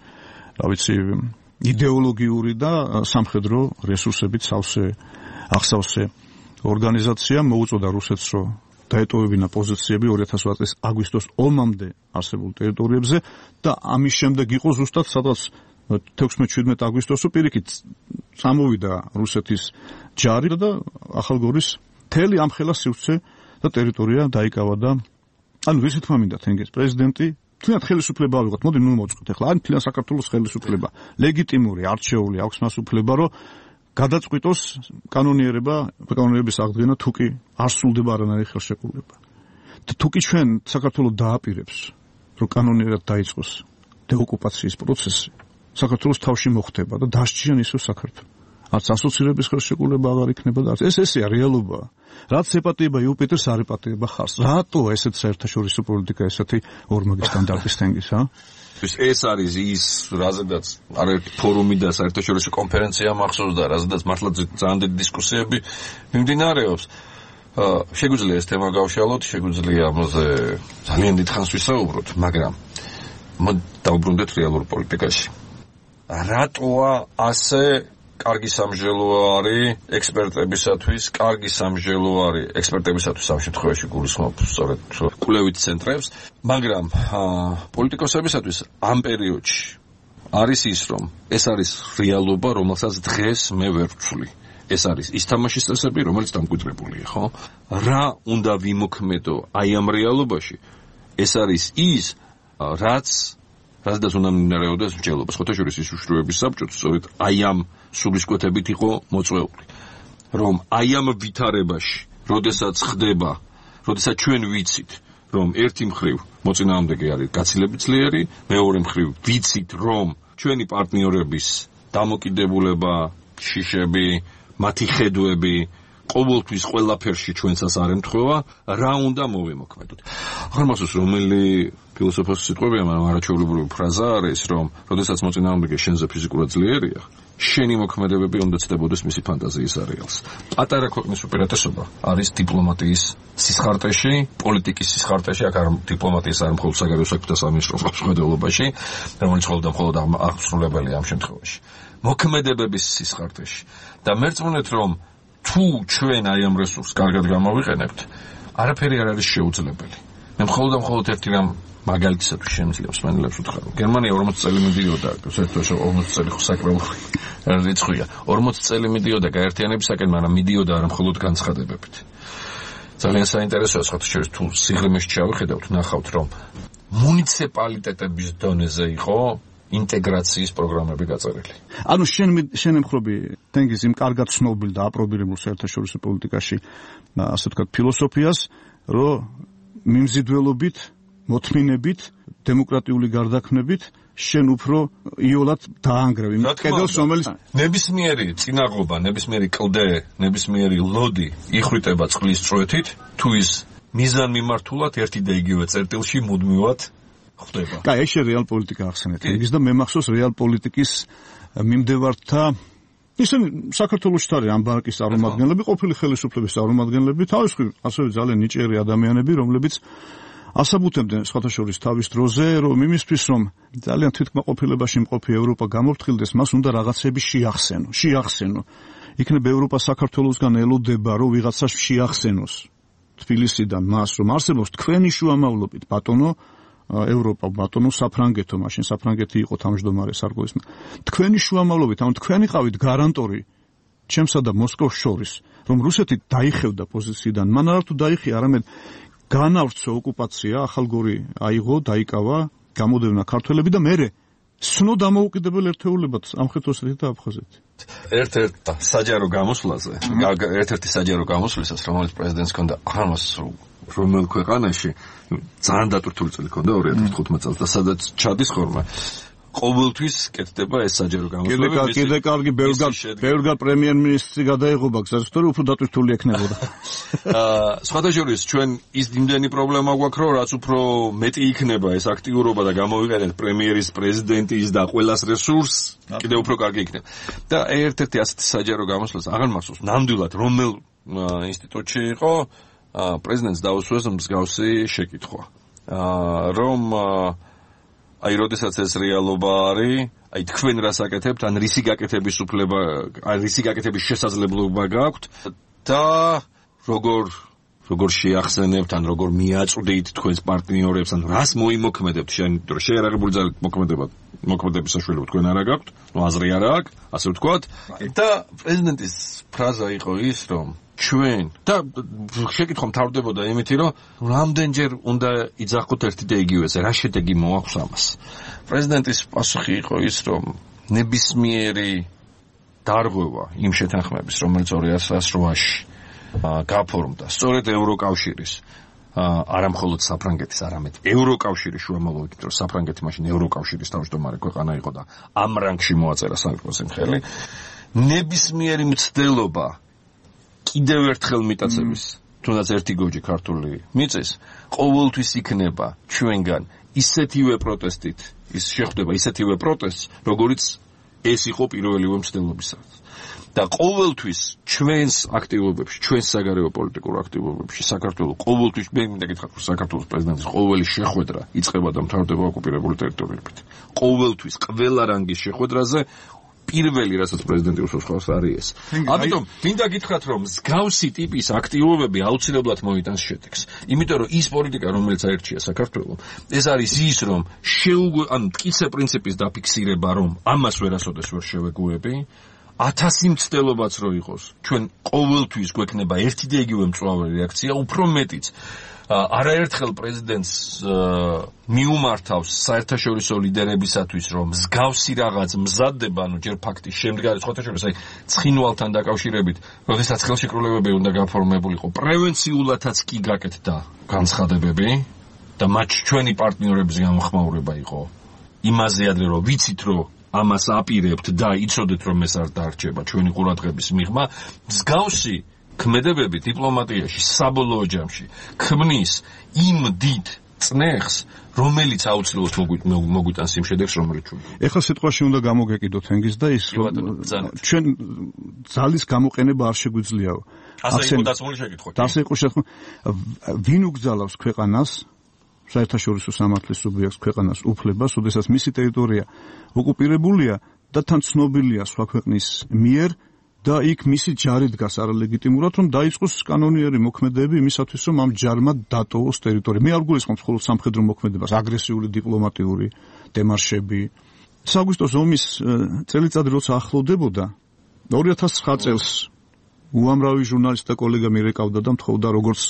იდეოლოგიური და სამხედრო რესურსებით ახსავსე ორგანიზაცია მოუწოდა რუსეთს, რომ დაეტოვებინა პოზიციები 2008 წლის აგვისტოს ომამდე არსებულ ტერიტორიებზე და ამის შემდეგ იყო ზუსტად სადაც 16-17 აგვისტოს პირიქით წამოვიდა რუსეთის ჯარი და ახალგორის მთელი ამხელა სივრცე და ტერიტორია დაიკავა და ანუ ვისი თქმა მინდა თენგიზ პრეზიდენტი თუნდაც ხელისუფლება ავიღოთ, მოდი მოწყოთ ახლა ან თლიან საქართველოს ხელისუფლება ლეგიტიმური არჩეული აქვს მას უფლება, რომ გადაწყვიტოს კანონიერების აღდგენა თუ კი არ სრულდება არანაირი ხელშეკრულება. თუ კი ჩვენ საქართველოს დააპირებს, რომ კანონიერად დაიწყოს დეოკუპაციის პროცესი, საქართველოს თავში მოხდება და დასჭიან ისო საქართველოს. არც ასოცირების ხელშეკრულება აღარ იქნება და ესეა რეალობა. რაც ეპატიება იუპიტერს, არ ეპატიება ხარს. რატო ესეც საერთაშორისო პოლიტიკა ესეთი ორმაგი სტანდარტის თენგის, ეს არის ის, რაზედაც არაერთი ფორუმი და საერთაშორისო კონფერენცია მახსოვს და რაზედაც მართლა ძალიან დიდი დისკუსიები მიმდინარეობს. შეგვიძლია ეს თემა გავშალოთ, შეგვიძლია ამაზე ძალიან დიდ ხანს ვისაუბროთ, მაგრამ დავუბრუნდეთ რეალურ პოლიტიკაში. რატოა ასე კარგი სამჟელო არის ექსპერტებისათვის, ამ შემთხვევაში გულისხმობ სწორედ კვლევით ცენტრებს, მაგრამ პოლიტიკოსებისათვის ამ პერიოდში არის ის, რომ ეს არის რეალობა, რომელსაც დღეს მე ვერ ვცვლი. ეს არის ის თამაშის წესები, რომელიც დამკვიდრებულია, ხო? რა უნდა ვიმოქმედო აი ამ რეალობაში? ეს არის ის, რაც რადგან უნდა მიმდინარეობდეს მსჯელობა. ხოთაშორის ის უშუალოების საბჭოც სწორედ აი ამ სულისკვეთებით იყო მოწვეული. რომ აი ამ ვითარებაში, როდესაც ხდება, როდესაც ჩვენ ვიცით, რომ ერთი მხრივ მოწინააღმდეგე არის გაცილებით ძლიერი, მეორე მხრივ ვიცით, რომ ჩვენი პარტნიორების დამოკიდებულება, შიშები, მათი ხედვები ყოველთვის ყველაფერში ჩვენსაც არ ემთხვევა, რა უნდა მოვიმოქმედოთ. ახლა მასოს რომელი ფილოსოფოსის სიტყვებია, მაგრამ არაჩვეულებრივი ფრაზა არის, რომ როდესაც მოწინააღმდეგე შენზე ფიზიკურად ძლიერია, შენი მოქმედებები უნდა ცდებოდეს მისი ფანტაზიის არეალს. პატარა ქვეყნის უპირატესობა არის დიპლომატიის სისხარტეში, პოლიტიკის სისხარტეში, აქ არ დიპლომატიის არ მხოლოდ საგარეო საქმეთა სამინისტროს ხელმძღვანელობაში, რომელიც მხოლოდ აღსრულებელია ამ შემთხვევაში. მოქმედებების სისხარტეში. და მერწმუნეთ, რომ თუ ჩვენ აი ამ რესურსს კარგად გამოვიყენებთ, არაფერი არ არის შეუძლებელი. მე მხოლოდ ერთი რამ მაგალითისათვის შემიძლია მსმენელებს ვთქვა. გერმანია 40 წელი მიდიოდა, საერთოდ 40 წელი საკრალური რიცხვია. 40 წელი მიდიოდა გაერთიანებისაკენ, მაგრამ მიდიოდა არა მხოლოდ განცხადებებით. ძალიან საინტერესოა ხათშორის თუ სიღრმეში ჩავიხედავთ, ნახავთ, რომ მუნიციპალიტეტების დონეზე იყო ინტეგრაციის პროგრამები გაწერილი. ანუ შენ ემხრობი თენგიზ იმ კარგად ცნობილ და აპრობირებულ საერთაშორისო პოლიტიკაში, ასე ვთქვათ, ფილოსოფიას, რომ მიმზიდველობით, მოთმინებით, დემოკრატიული გარდაქმნებით შენ უფრო იოლად დაანგრევ იმ კედელს, რომელიც ნებისმიერი წინაღობა, ნებისმიერი კლდე, ნებისმიერი ლოდი იხრიტება წყლის წვეთით, თუ ის მიზანმიმართულად ერთი და იგივე წერტილში მუდმივად ხდება. კაი, ეს რეალ პოლიტიკა ახსენეთ. ის და მე მახსოვს რეალ პოლიტიკის მიმდევართა ისინი საქართველოში არის ამ ბანკის წარმომადგენლები, ყოფილი ხელისუფლების წარმომადგენლები, თავისუფლი, ასევე ძალიან ნიჭიერი ადამიანები, რომლებიც ასაბუთებდნენ სხვათა შორის თავის დროზე, რომ იმისთვის, რომ ძალიან თვითკმაყოფილებაში მყოფი ევროპა გამოფრთხილდეს, მას უნდა რაღაცები შეახსენო. იქნებ ევროპა საქართველოსგან ელოდება, რომ ვიღაცას შეახსენოს თბილისიდან მას, რომ არსებობს თქვენი შუამავლობით ბატონო ევროპა, ბატონო საფრანგეთო, მაშინ საფრანგეთი იყო თავმჯდომარე სარკოზის. თქვენი შუამავლობით, ანუ თქვენი ყავით გარანტორი ჩემსა და მოსკოვს შორის, რომ რუსეთი დაიხევდა პოზიციიდან, მან არა თუ დაიხია, არამედ განავრცო ოკუპაცია, ახალგორი აიღო, დაიკავა, გამოდევნა ქართველები და მერე სნო დამოუკიდებელ ერთეულებად ამხეთოსეთი და აფხაზეთი. ერთ-ერთი საჯარო გამოსვლისას, რომელიც პრეზიდენტს ჰქონდა ამას რომელ ქვეყანაში ძალიან დატვირთული წელი ჰქონდა 2015 წელს და სადაც ჩადის ხოლმე ყოველთვის კეთდება ეს საჯარო გამოსვლები. კიდე კარგი ბევრგან პრემიერ-მინისტრი გადაეღობა გზას, თორე უფრო დატვირთული ექნებოდა. სხვათა შორის ჩვენ ის იმდენი პრობლემა გვაქვს, რომ რაც უფრო მეტი იქნება ეს აქტიურობა და გამოვიყენეთ პრემიერის, პრეზიდენტის და ყველას რესურსს, კიდე უფრო კარგი იქნება. და ერთ-ერთი ასეთი საჯარო გამოსვლას აღარ მახსოვს ნამდვილად რომელ ინსტიტუტში იყო პრეზიდენტს დაუსვეს მსგავსი შეკითხვა. რომ აი როდესაც ეს რეალობა არის, აი თქვენ რას აკეთებთ, ან რისი გაკეთების უფლება, ან რისი გაკეთების შესაძლებლობა გაქვთ და როგორ შეახსენებთ, ან როგორ მიაწვდით თქვენს პარტნიორებს, ან რას მოიმოქმედებთ, შეერაღებული ძალით მოქმედების საშუალება თქვენ არა გაქვთ, ნუ აზრი არა აქვს, ასე ვთქვათ. და პრეზიდენტის ფრაზა იყო ის, რომ ჩვენ და შეკითხვა მთავრდებოდა იმითი, რომ რამდენჯერ უნდა იძახოთ ერთი და იგივეზე, რა შედეგი მოაქვს ამას. პრეზიდენტის პასუხი იყო ის, რომ ნებისმიერი დარღვევა იმ შეთანხმების, რომელიც 2008-ში გაფორმდა, სწორედ ევროკავშირის, არა მხოლოდ საფრანგეთის, არამედ ევროკავშირის შუამავლობით, რომ საფრანგეთი მაშინ ევროკავშირის თავმჯდომარე ქვეყანა იყო და ამ რანგში მოაწერა სანქტ-პეტერბურგის მხელი, ნებისმიერი მცდელობა კიდევ ერთხელ მიტაცების, თუნდაც ერთი გოჯი ქართული მიწის, ყოველთვის იქნება ჩვენგან ისეთივე პროტესტით, ის შეხვდება ისეთივე პროტესტს, როგორიც ეს იყო პირველივე მცდელობისას. და ყოველთვის ჩვენს აქტივობებში, ჩვენს საგარეო პოლიტიკურ აქტივობებში საქართველოს ყოველთვის მე მინდა გითხრათ, რომ საქართველოს პრეზიდენტის ყოველი შეხვედრა იწყება და მთავრდება ოკუპირებული ტერიტორიებით. ყოველთვის ყველა რანგის შეხვედრაზე პირველი რასაც პრეზიდენტი უსვავს არის ეს. ამიტომ მინდა გითხრათ, რომ მსგავსი ტიპის აქტივობები აუცილებლად მოიტანს შედეგს. იმიტომ რომ ის პოლიტიკა, რომელიც აერჩია საქართველოს, ეს არის ის, რომ ან მტკიცე პრინციპის დაფიქსირება, რომ ამას ვერასოდეს ვერ შევეგუები, 1000 მცდელობაც რო იყოს, ჩვენ ყოველთვის გვექნება ერთი და იგივე მწვავე რეაქცია, უფრო მეტიც არაერთხელ პრეზიდენტს მიუმართავს საერთაშორისო ლიდერებისათვის, რომ მსგავსი რაღაც მზადდება, ჯერ ფაქტის შემდგარი სხვათაშორის, ცხინვალთან დაკავშირებით, როდესაც ხელშეკრულებები უნდა გაფორმებულიყო, პრევენციულათაც კი გაკეთდა განცხადებები და მათ ჩვენი პარტნიორების გამოხმაურება იყო იმაზე ადრე, რომ ვიცით, რომ ამას აპირებთ და იცოდეთ, რომ ეს არ დარჩება ჩვენი ყურადღების მიღმა, მსგავსი ქმედებები დიპლომატიაში საბოლოო ჯამში ქმნის იმ დიდ წნეხს, რომელიც აუცილებლად მოგვიტანს იმ შედეგს, რომელიც ჩვენ. ეხლა სიტყვაში უნდა გამოგეკიდოთ ენგის და ის ჩვენ ძალის გამოყენება არ შეგვიძლია. ასე იყო დაცმული შეკითხვა. ასე იყო შეკითხვა. ვინ უგზალავს ქვეყანას საერთაშორისო სამართლის სუბიექტს ქვეყანას უფლებას, ოდესაც მისი ტერიტორია ოკუპირებულია და თან ცნობილია სხვა ქვეყნის მიერ და იქ მისი ჯარი დგას არალეგიტიმურად, რომ დაიწყოს კანონიერი მოქმედებები იმისათვის, რომ ამ ჯარმა დატოვოს ტერიტორია. მე არ გულისხმობ მხოლოდ სამხედრო მოქმედებას, აგრესიული დიპლომატიური დემარშები. საგვისტოს ომის წელიწადი როცა ახლოვდებოდა, 2009 წელს უამრავი ჟურნალისტი და კოლეგა მირეკავდა და მთხოვდა როგორც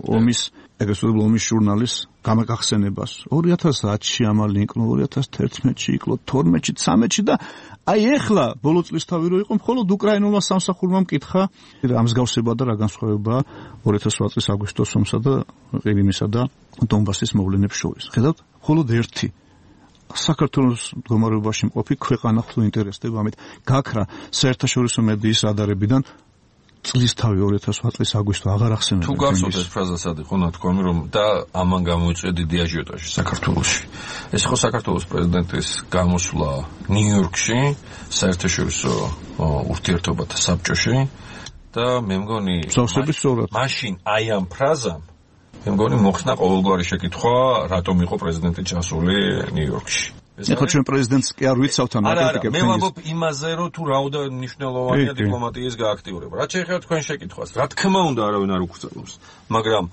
ომის ეგრესული ომის ჟურნალის გამაგახსენებას. 2010-ში ამალი იკლო, 2011-ში იკლო, 12-ში, 13-ში და აი ეხლა ბოლო წლისთავი რო იყო, მხოლოდ უკრაინულმა სამსახურმა მკითხა რა მსგავსება და რა განსხვავებაა 2008 წლის აგვისტოს ომსა და ყირიმისა და დონბასის მოვლენებს შორის. ხედავთ, მხოლოდ ერთი საქართველოს მდგომარეობაში მყოფი ქვეყანა ხო ინტერესდება ამით გაქრა საერთაშორისო მედიის რადარებიდან წლისთავი 2008 წლის აგვისტო აღარ ახსენებდა. თუ გახსოვთ ეს ფრაზა სად იყო ნათქვამი, რომ და ამან გამოიწვია დიდი აჟიოტაჟი საქართველოში. ეს იყო საქართველოს პრეზიდენტის გამოსვლა ნიუ-იორკში, საერთაშორისო ურთიერთობათა საბჭოში და მე მგონი მაშინ აი ამ ფრაზამ მე მგონი მოხსნა ყოველგვარი შეკითხვა, რატომ იყო პრეზიდენტი ჩასული ნიუ-იორკში. ეხლა ჩვენ პრეზიდენტს კი არ ვიცავთ ამ აკრიტიკებს. მე ვამბობ იმაზე, რომ თუ რაოდა მნიშვნელოვანია დიპლომატიის გააქტიურება. რაც შეეხება თქვენ შეკითხვას, რა თქმა უნდა არავინ არ უკრძალავს, მაგრამ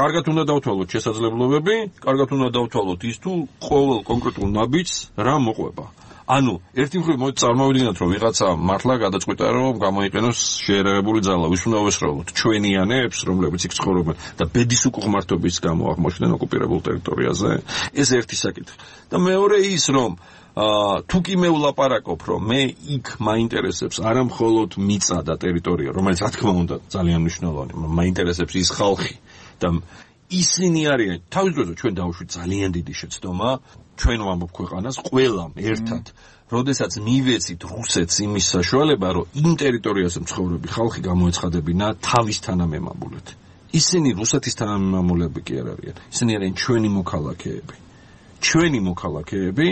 კარგად უნდა დავთვალოთ შესაძლებლობები, კარგად უნდა დავთვალოთ ის თუ ყოველ კონკრეტულ ნაბიჯს რა მოყვება. ანუ ერთი მხრივ მოდი წარმოვიდგინოთ, რომ ვიღაცა მართლა გადაწყვიტა, რომ გამოიყენოს შეერაღებული ძალა, ვის უნდა ვესწავლოთ, ჩვენიანებს, რომლებიც იქ ცხოვრობენ და ბედის უკუღმართობის გამო აღმოჩნდნენ ოკუპირებულ ტერიტორიაზე. ეს ერთი საკითხი. და მეორე ის, რომ თუ კი მე ვლაპარაკობ, რომ მე იქ მაინტერესებს არა მხოლოდ მიწა და ტერიტორია, რომელიც რა თქმა უნდა ძალიან მნიშვნელოვანია, მაინტერესებს ის ხალხი და ისინი არიან თავის დროზე ჩვენ დავუშვით ძალიან დიდი შეცდომა ჩვენ ვამბობ ქვეყანას ყველამ ერთად როდესაც მივეცით რუსეთს იმის საშუალება რომ იმ ტერიტორიაზე მცხოვრები ხალხი გამოეცხადებინა თავის თანამემამულედ ისინი რუსეთის თანამემამულეები კი არ არიან ისინი არიან ჩვენი მოქალაქეები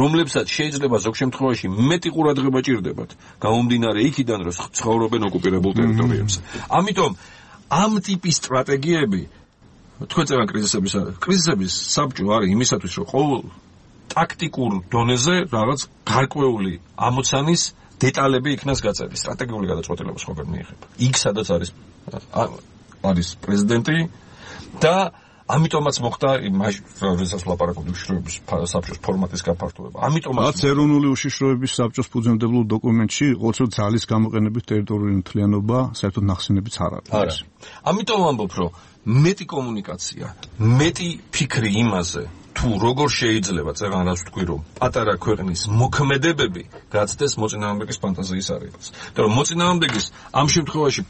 რომლებსაც შეიძლება ზოგ შემთხვევაში მეტი ყურადღება ჭირდებათ გამომდინარე იქიდან რომ ცხოვრობენ ოკუპირებულ ტერიტორიებზე ამიტომ ამ ტიპის სტრატეგიები თქვენ წერან კრიზისების საბჭო არის იმისათვის რომ ყოველ ტაქტიკურ დონეზე რაღაც გარკვეული ამოცანის დეტალები იქნას გაწეული სტრატეგიული გადაწყვეტილება სხვაგან მიიღება იქ სადაც არის პრეზიდენტი და ამიტომაც მოხდა როდესაც ვლაპარაკობთ უშიშროების საბჭოს ფორმატის გაფართოება. ამიტომაც ეროვნული უშიშროების საბჭოს ფუძემდებულ დოკუმენტში ყოველთვის ძალის გამოყენების ტერიტორიული მთლიანობა საერთოდ ნახსენებიც არ არის. ამიტომ ვამბობ, რომ მეტი კომუნიკაცია, მეტი ფიქრი იმაზე, თუ როგორ შეიძლება წერან რაც თქვი, რომ პატარა ქვეყნის მოქმედებები გაცდეს მოწინააღმდეგის ფანტაზიის არეალს. და რომ მოწინააღმდეგის ამ შემთხვევაში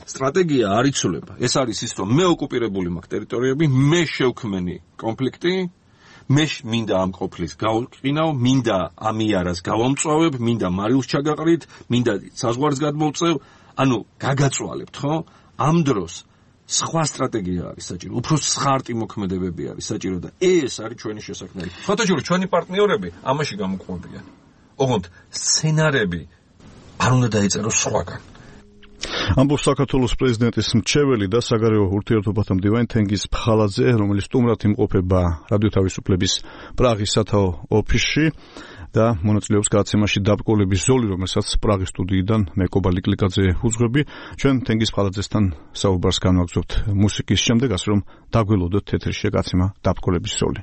სტრატეგია არ იცვლება. ეს არის ის, რომ მე ოკუპირებული მაქვს ტერიტორიები, მე შევქმენი კონფლიქტი, მე მინდა ამ ყოფლის გავყინავ, მინდა ამიარას გავამწვავებ, მინდა მარილს ჩაგაყრით, მინდა საზღვარს გადმოვწევ, ანუ გაგაწვალებთ, ხო? ამ დროს სხვა სტრატეგია არის საჭირო, უფრო სხარტი მოქმედებები არის საჭირო და ეს არის ჩვენი შესაქმნელი. ფოტოჟური ჩვენი პარტნიორები ამაში გამოყვებიან. ოღონდ სცენარები არ უნდა დაიწეროს სხვაგან. ამბობს საქართველოს პრეზიდენტის მრჩეველი და საგარეო ურთიერთობათა მდივანი თენგიზ ფხალაძე, რომელიც სტუმრად იმყოფება რადიო თავისუფლების პრაღის სათაო ოფისში და მონაწილეობს გადაცემაში დაბკოლების ზოლი, რომელსაც პრაღის სტუდიიდან მე კობა ლიკლიკაძე უძღვები. ჩვენ თენგიზ ფხალაძესთან საუბარს განვაგრძობთ მუსიკის შემდეგ, ასე რომ დაგველოდოთ ეთერში გადაცემა დაბკოლების ზოლი.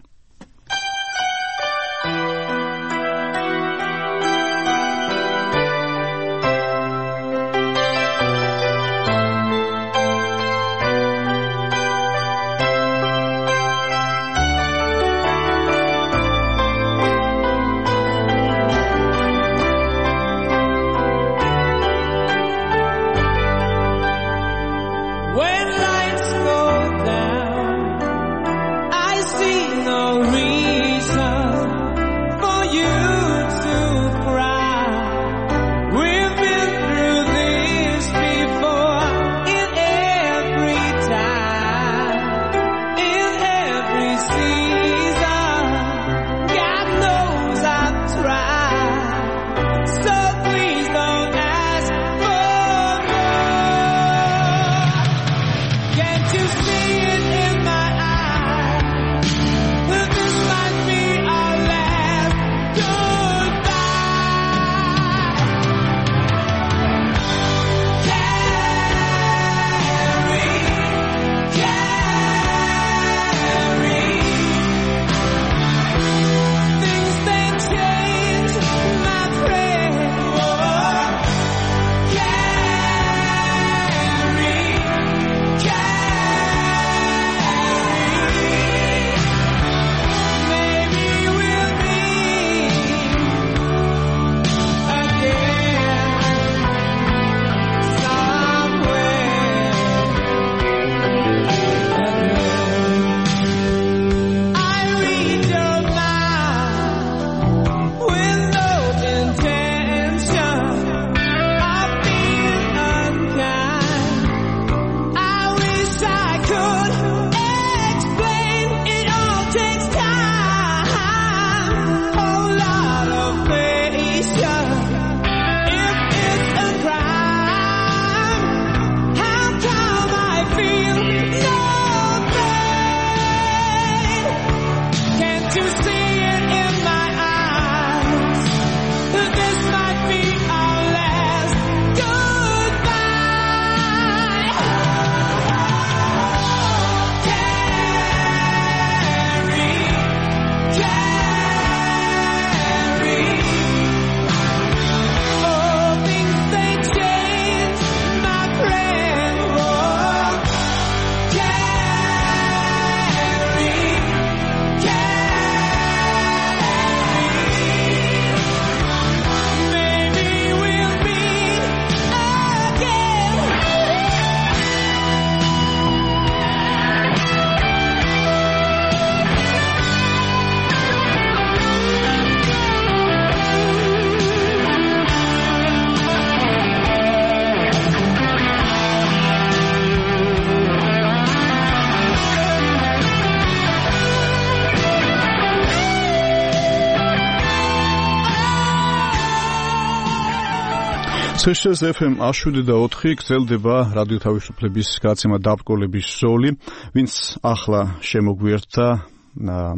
CSS FM 107.4 გრძელდება რადიო თავისუფლების გადაცემა დაბრკოლების ზოლი, ვინც ახლა შემოგვიერთდა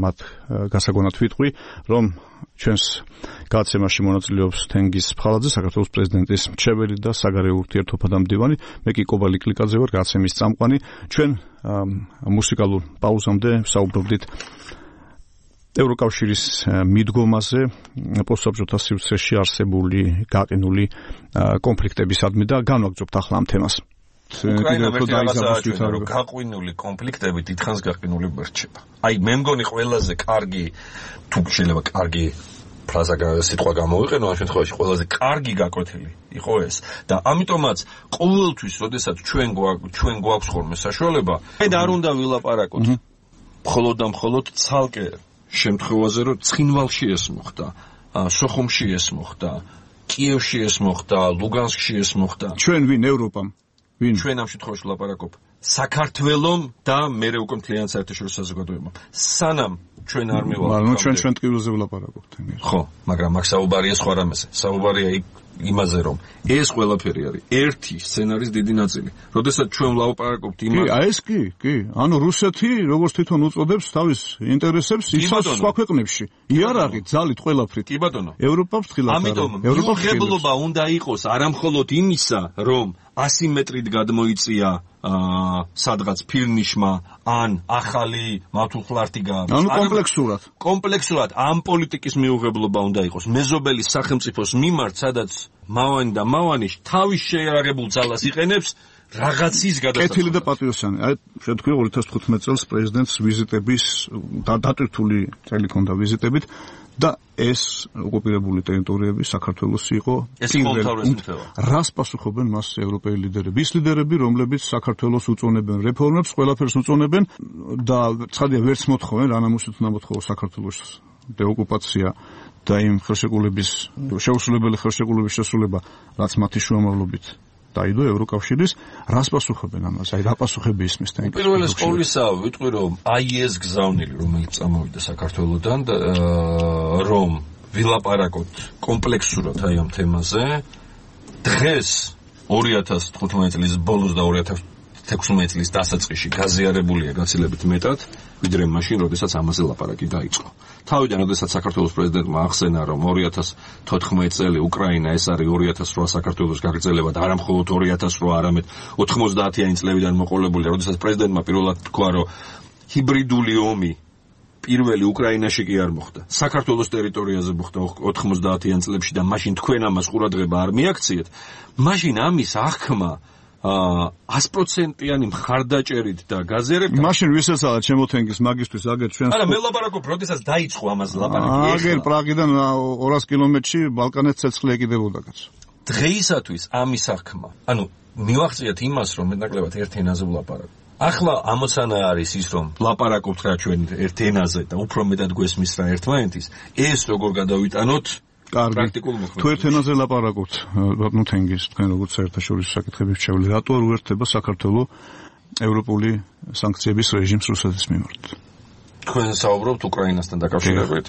მათ გასაგონად ვიტყვი, რომ ჩვენს გადაცემაში მონაწილეობს თენგიზ ფხალაძე, საქართველოს პრეზიდენტის მრჩეველი და საგარეო ურთიერთობათა მდივანი, მე კი კობა ლიკლიკაძე ვარ, გადაცემის წამყვანი. ჩვენ მუსიკალურ პაუზამდე ვსაუბრობდით ევროკავშირის მიდგომაზე პოსტსაბჭოთა სივრცეში არსებული გაყინული კონფლიქტებისადმი და განვაგრძობთ ახლა ამ თემას. უკრაინა ვერტიალაზაა გაყინული კონფლიქტები დიდხანს გაყინული მერჩება. აი მე მგონი ყველაზე კარგი თუ შეიძლება კარგი ფრაზა სიტყვა გამოვიყენო ამ შემთხვევაში ყველაზე კარგი გაკვეთილი იყო ეს და ამიტომაც ყოველთვის როდესაც ჩვენ გვაქვს ხოლმე საშუალება მე არ უნდა ვილაპარაკოთ მხოლოდ და მხოლოდ ცალკე შემთხვევაზე რომ ცხინვალში ეს მოხდა, სოხუმში ეს მოხდა, კიევში ეს მოხდა, ლუგანსკში ეს მოხდა. ჩვენ ვინ ევროპამ? ვინ? ჩვენ ამ შემთხვევაში ვლაპარაკობ საქართველომ და მერე უკვე მთლიან საერთაშორისო საზოგადოებამ. სანამ ჩვენ არ მივალთ. მაგრამ ჩვენ ტკივილზე ვლაპარაკობთ. ხო, მაგრამ აქ საუბარია სხვა რამეზე. საუბარია იმაზე რომ ეს ყველაფერი არის ერთი სცენარის დიდი ნაწილი. როდესაც ჩვენ ვლაპარაკობთ იმაზე. კი, ეს კი. ანუ რუსეთი როგორც თვითონ უწოდებს თავის ინტერესებს ისევ სხვა ქვეყნებში. იარაღით, ძალით ყველაფრით. კი ბატონო. ევროპა ფრთხილად არის. ამიტომ მიუღებლობა უნდა იყოს არამხოლოდ იმისა, რომ ასიმეტრით გადმოიწია სადღაც ფირნიშმა ან ახალი მართულხლართი გააქვს. ანუ კომპლექსურად ამ პოლიტიკის მიუღებლობა უნდა იყოს მეზობელი სახელმწიფოს მიმართ, სადაც მავანი და მავანი თავის შეიარაღებულ ძალას იყენებს რაღაცის გადასახადად. კეთილი და პატრიოტიანი. აი შეთქვი 2015 წელს პრეზიდენტს ვიზიტების დატვირთული წელი ჰქონდა ვიზიტებით და ეს ოკუპირებული ტერიტორიები საქართველოს იყო პირველი. რას პასუხობენ მას ევროპელი ლიდერები? ის ლიდერები, რომლებიც საქართველოს უწონებენ რეფორმებს, ყველაფერს უწონებენ და ცხადია ვერც მოთხოვენ, რანამუსით უნდა მოთხოვოს საქართველოს დეოკუპაცია და იმ ხელშეკრულების შეუსრულებელი ხელშეკრულების შესრულება, რაც მათი შუამავლობით დაიდო ევროკავშირის, რას პასუხობენ ამაზე? აი რა პასუხები ისმის თან? პირველეს ყოვლისა ვიტყვი რომ აი ეს გზავნილი რომელიც წამოვიდა საქართველოდან რომ ვილაპარაკოთ კომპლექსურად აი ამ თემაზე დღეს 2015 წლის ბოლოს და 2016 წლის დასაწყისში გაზიარებულია გაცილებით მეტად ვიდრე მაშინ როდესაც ამაზე ლაპარაკი დაიწყო. თავიდან როდესაც საქართველოს პრეზიდენტმა ახსენა რომ 2014 წელი უკრაინა ეს არის 2008 საქართველოს გაგრძელება და არა მხოლოდ 2008 არამედ 90-იანი წლებიდან მოყოლებული, როდესაც პრეზიდენტმა პირველად თქვა რომ ჰიბრიდული ომი პირველი უკრაინაში კი არ მოხდა. საქართველოს ტერიტორიაზე მოხდა 90-იან წლებში და მაშინ თქვენ ამას ყურადღება არ მიაქციეთ. მაშინ ამის აღქმა 100%-იანი მხარდაჭერით და გაზიარებით. მაშინ ვისეცალად შემოთენგის მაგისტრის აგერ ჩვენს. არა, მე ლაპარაკობ, როდესაც დაიწყო ამაზე ლაპარაკი. აგერ პრაღიდან 200 კილომეტრში ბალკანეთს ცეცხლი ეკიდებოდა კაცო. დღეისათვის ამის აღქმა. ანუ მივახციეთ იმას, რომ მეტნაკლებად ერთ ენაზე ვლაპარაკობ. ახლა ამოცანა არის ის, რომ ლაპარაკობთ რა ჩვენ ერთ ენაზე და უფრო მეტად გვესმის რა ერთმანეთის. ეს როგორ გადავიტანოთ? პრაქტიკულ მოქმედებას. თუ ერთ ენაზე ლაპარაკობთ, ბატონო თენგიზ, თქვენ როგორც საერთაშორისო საკითხების მრჩეველი, რატო არ უერთდება საქართველოს ევროპული სანქციების რეჟიმს რუსეთის მიმართ? თქვენ საუბრობთ უკრაინასთან დაკავშირებით.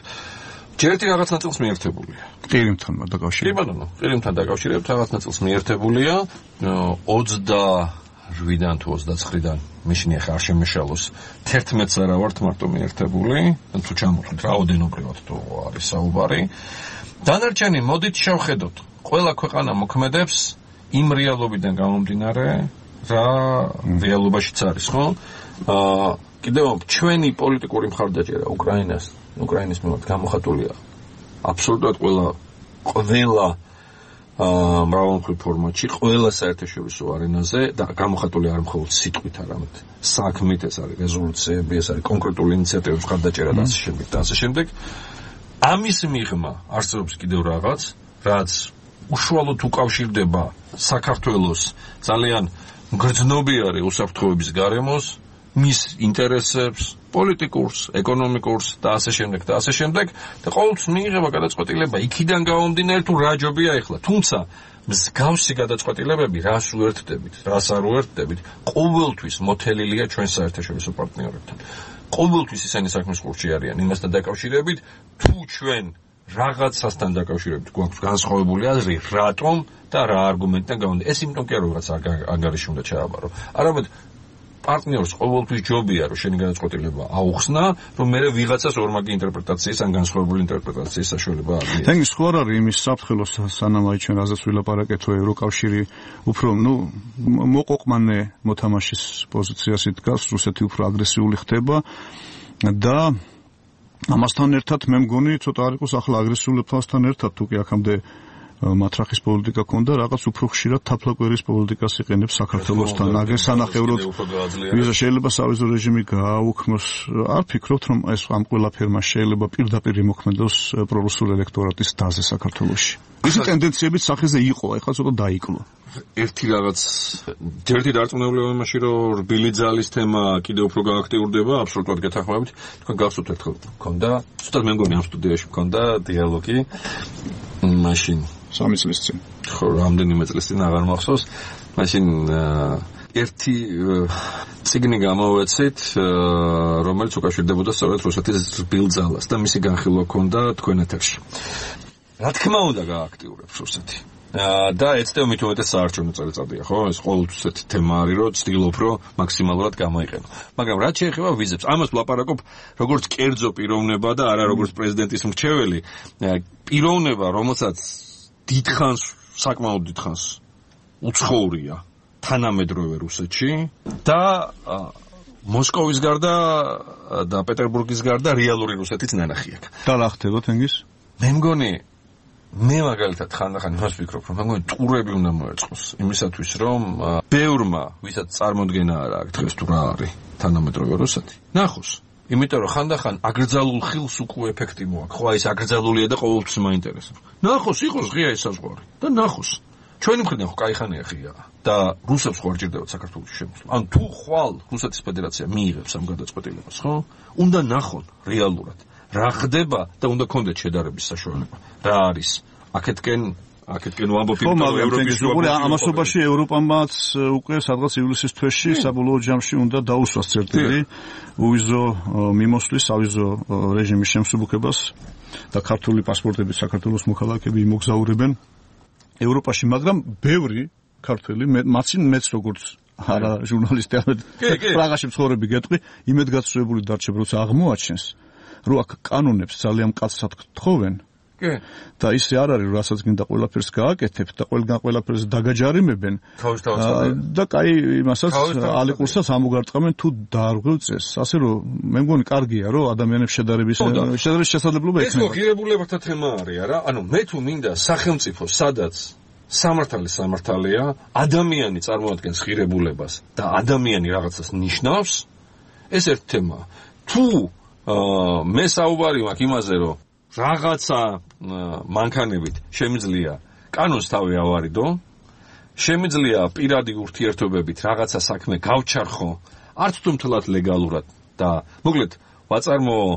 ჯერ ერთი რაღაც ნაწილს მიერთებულია. ყირიმთან დაკავშირებით. კი ბატონო, ყირიმთან დაკავშირებით რაღაც ნაწილს მიერთებულია 28-დან თუ 29-დან მიშნი ხარ შემეშალოს 11-ს არა ვართ მარტო მიერთებული, თუ ჩამოვხდით რაოდენობრივად თუ არის საუბარი. დანარჩენი მოდით შევხედოთ. ყველა ქვეყანა მოქმედებს იმ რეალობიდან გამომდინარე, რა რეალობაშიც არის, ხო? კიდევ ჩვენი პოლიტიკური მხარდაჭერა უკრაინის მიმართ გამოხატულია აბსოლუტურად ყველა მრავალმხრივ ფორმატში, ყველა საერთაშორისო არენაზე და გამოხატული არ მხოლოდ სიტყვით, არამედ საქმით, ეს არის რეზოლუციები, ეს არის კონკრეტული ინიციატივების მხარდაჭერა და ასე შემდეგ. ამის მიღმა არსებობს კიდევ რაღაც, რაც უშუალოდ უკავშირდება საქართველოს ძალიან მგრძნობიარე უსაფრთხოების გარემოს, მის ინტერესებს, პოლიტიკურს, ეკონომიკურს და ასე შემდეგ და ყოველთვის მიიღება გადაწყვეტილება იქიდან გამომდინარე თუ რა ჯობია ეხლა. თუმცა მსგავსი გადაწყვეტილებები რას უერთდებით, რას არ უერთდებით, ყოველთვის მოთელილია ჩვენ საერთაშორისო პარტნიორებთან. ყოველთვის ისინი საქმის ყურში არიან იმასთან დაკავშირებით, თუ ჩვენ რაღაცასთან დაკავშირებით გვაქვს განსხვავებული აზრი, რატომ და რა არგუმენტიდან გამომდინარე. ეს იმიტომ კი არ რაღაც ანგარიში უნდა ჩააბარო. არამედ პარტნიორს ყოველთვის ჯობია, რომ შენი განაცხადება აუხსნა, რომ მე ვიღაცას ორმაგი ინტერპრეტაციის ან განსხვავებული ინტერპრეტაციის საშუალება აქვს. თენგ სხვა არ არის იმის საფრთხილოს სანამ აი ჩვენ რაზეც ვილაპარაკეთო ევროკავშირი უფრო მოყოყმანე მოთამაშის პოზიციას იდგას, რუსეთი უფრო აგრესიული ხდება და ამასთან ერთად მე მგონი ცოტა არ იყოს ახლა აგრესიულებთან ერთად თუ კი აქამდე მატრახის პოლიტიკა ქონდა, რაღაც უფრო ხშირად თაფლაკვერის პოლიტიკას იყენებს საქართველოსთან. აგერ სანახევროდ ვიზა შეიძლება სავიზო რეჟიმი გააუქმოს. არ ფიქრობთ, რომ ეს ამ ყველაფერმა შეიძლება პირდაპირ იმოქმედოს პრორუსულ ელექტორატის დაზე საქართველოში? ისი ტენდენციებიც სახეზე იყო, ეხლა ცოტა დაიკლო. ერთი რაღაც ერთი დარწმუნებული იმაში, რომ რბილი ძალის თემა კიდევ უფრო გააქტიურდება, აბსოლუტურად გეთანხმებით. თქვენ გახსოვთ ერთხელ მქონდა, ზუსტად მე მგონი ამ სტუდიაში მქონდა დიალოგი მაშინ 3 წლის წინ. ხო, რამდენიმე წლის წინ აღარ მახსოვს. მაშინ ერთი წიგნი გამოვეცით, რომელიც უკავშირდებოდა სწორედ რუსეთის რბილ ძალას და მისი განხილვა ჰქონდა თქვენ ეთერში. რა თქმა უნდა გააქტიურებს რუსეთი. და ეცდევ მით უმეტეს საარჩევნო წელიწადია, ხო? ეს ყოველთვის ესეთი თემა არის, რომ ცდილობ, რომ მაქსიმალურად გამოიყენო. მაგრამ რაც შეეხება ვიზებს, ამას ვლაპარაკობ როგორც კერძო პიროვნება და არა როგორც პრეზიდენტის მრჩეველი. პიროვნება, რომელსაც დიდხანს, საკმაოდ დიდხანს უცხოურია თანამედროვე რუსეთში და მოსკოვის გარდა და პეტერბურგის გარდა რეალური რუსეთის ნანახი აქვს. და რა ხდება თენგის? მე მგონი მე მაგალითად ხანდახან იმას ვფიქრობ, რომ მეგონი ტურები უნდა მოეწყოს იმისათვის, რომ ბევრმა, ვისაც წარმოდგენა არ აქვს დღეს თუ რა არის თანამედროვე რუსეთი, ნახოს. იმიტომ რომ ხანდახან აკრძალულ ხილს უკვე ეფექტი მოაქვს. ხო, აი ეს აკრძალულია და ყოველთვის მაინტერესებს. ნახოს, იყოს ღია ეს საზღვარი და ნახოს. ჩვენი მხრიდან ხო კაი ხანია ღია და რუსებს ხო არ ჭირდებათ საქართველოს შემოსვლა. ან თუ ხვალ რუსეთის ფედერაცია მიიღებს ამ გადაწყვეტილებას, ხო? უნდა ნახონ რეალურად რა ხდება და უნდა კონდეთ შედარების საშუალება. რა არის? აქეთკენ ვამბობ იმიტომ რომ ევროპის ამასობაში ევროპამაც უკვე სადღაც ივლისის თვეში საბოლოო ჯამში უნდა დაუსვას წერტილი უვიზო მიმოსვლის სავიზო რეჟიმის შემსუბუქებას და ქართული პასპორტებით საქართველოს მოქალაქეები იმოგზაურებენ ევროპაში, მაგრამ ბევრი ქართველი მეც როგორც არა ჟურნალისტი ამეთ პრაღაში მცხოვრები გეტყვი, იმედგაცრუებული დარჩებ, როცა აღმოაჩენს, რომ აქ კანონებს ძალიან მკაცრად თხოვენ. და ისე არ არის, რასაც გინდა ყველაფერს გააკეთებ და ყველგან ყველაფერს დაგაჯარიმებენ. და კაი იმასაც ალიყურსაც ამოგარტყამენ თუ დაარღვევ წესს. ასე რომ მე მგონი კარგია, რომ ადამიანებს შედარების შესაძლებლობა ექნება. ეს ღირებულებათა თემა არის, არა? ანუ მე თუ მინდა სახელმწიფო, სადაც სამართალია, ადამიანი წარმოადგენს ღირებულებას და ადამიანი რაღაცას ნიშნავს, ეს ერთ თემაა. თუ მე საუბარი მაქვს იმაზე, რომ რაღაცა მანქანებით შემიძლია კანონს თავი ავარიდო, შემიძლია პირადი ურთიერთობებით რაღაცა საქმე გავჩარხო, არც თუ მთლად ლეგალურად და მოკლედ ვაწარმოო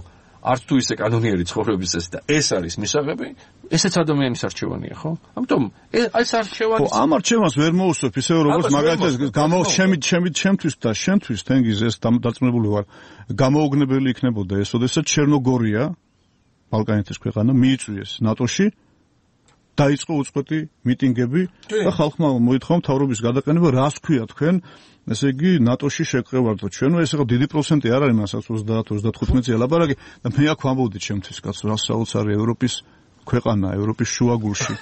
არც თუ ისე კანონიერი ცხოვრების წესი და ეს არის მისაღები, ესეც ადამიანის არჩევანია, ხო? ამიტომ ეს არჩევანი ხო, ამ არჩევანს ვერ მოუსწრებ ისე როგორც მაგალითად ჩემთვის და შენთვის თენგიზ ეს დაწმუნებული ვარ, გამოუგნებელი იქნებოდა ეს, ოდესაც ჩერნოგორია ბალკანეთის ქვეყანა მიიწვიეს ნატოში, დაიწყო უწყვეტი მიტინგები და ხალხმა მოითხოვა მთავრობის გადაყენება, რას ქვია თქვენ, ესე იგი ნატოში შეგყევარდო ჩვენ, ეს ახლა დიდი პროცენტი არ არის მასაც 30-35-ზე ლაპარაკი და მე აქ ვამბობდი ჩემთვის კაცო, რა საოცარი ევროპის ქვეყანა, ევროპის შუაგულში,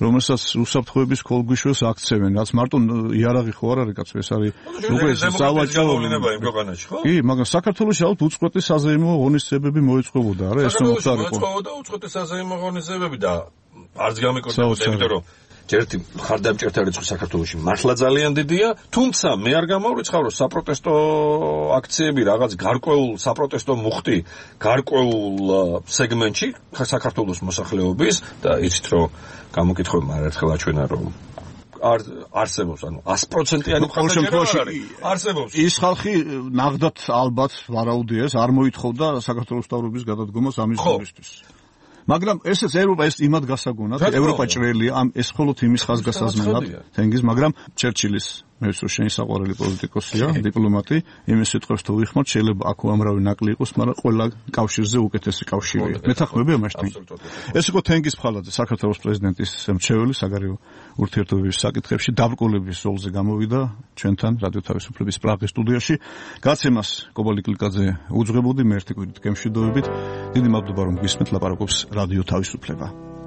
რომელსაც უსაფრთხოების ქოლგვიშოს აქცევენ, რაც მარტო იარაღი ხო არ არის კაცო, ეს არის უკვე სავაჭრო იმ ქვეყანაში, ხო? კი, მაგრამ საქართველოში ალბათ უწყვეტი საზეიმო ღონისძიებები მოეწყობოდა, არა, ეს მოხარიყო. მოეწყობოდა უწყვეტი საზეიმო ღონისძიებები და არც გამიკეთებოდა, იმიტომ რომ ერთი ხარდამჭერთა რიცხვი საქართველოში მართლა ძალიან დიდია, თუმცა მე არ გამავრიცხავ, რომ საპროტესტო აქციები რაღაც გარკვეულ საპროტესტო მუხტი გარკვეულ სეგმენტში საქართველოს მოსახლეობის და იცით რომ გამოკითხებმა ერთხელ აჩვენა რომ არსებობს, ანუ 100%-იანი მხარდაჭერა არსებობს. ის ხალხი ნახდათ ალბათ ვარაუდია ეს არ მოითხოვდა საქართველოს მთავრობის გადადგომას ამის გულისთვის. მაგრამ ესეც ევროპა ეს იმად გასაგონად, ევროპა ჭრელია, ეს მხოლოდ იმის ხაზგასაზმელად თენგიზ, მაგრამ ჩერჩილის მე ვსო შენი საყვარელი პოლიტიკოსია, დიპლომატი, იმის სიტყვებს თუ ვიხმართ, შეიძლება აქ უამრავი ნაკლი იყოს, მაგრამ ყველა კავშირზე უკეთესი კავშირია. მეთანხმები ამაშთი. ეს იყო თენგიზ ფხალაძე, საქართველოს პრეზიდენტის მრჩეველი საგარეო ურთიერთობების საკითხებში დაბრკოლების ზოლზე გამოვიდა ჩვენთან რადიო თავისუფლების პრაღის სტუდიაში. გაცემას კობალი კლიკაძე უძღვებოდი, მე ერთი კვირით გემშვიდობებით. დიდი მადლობა რომ გვისმენთ, ლაპარაკობს რადიო თავისუფლება.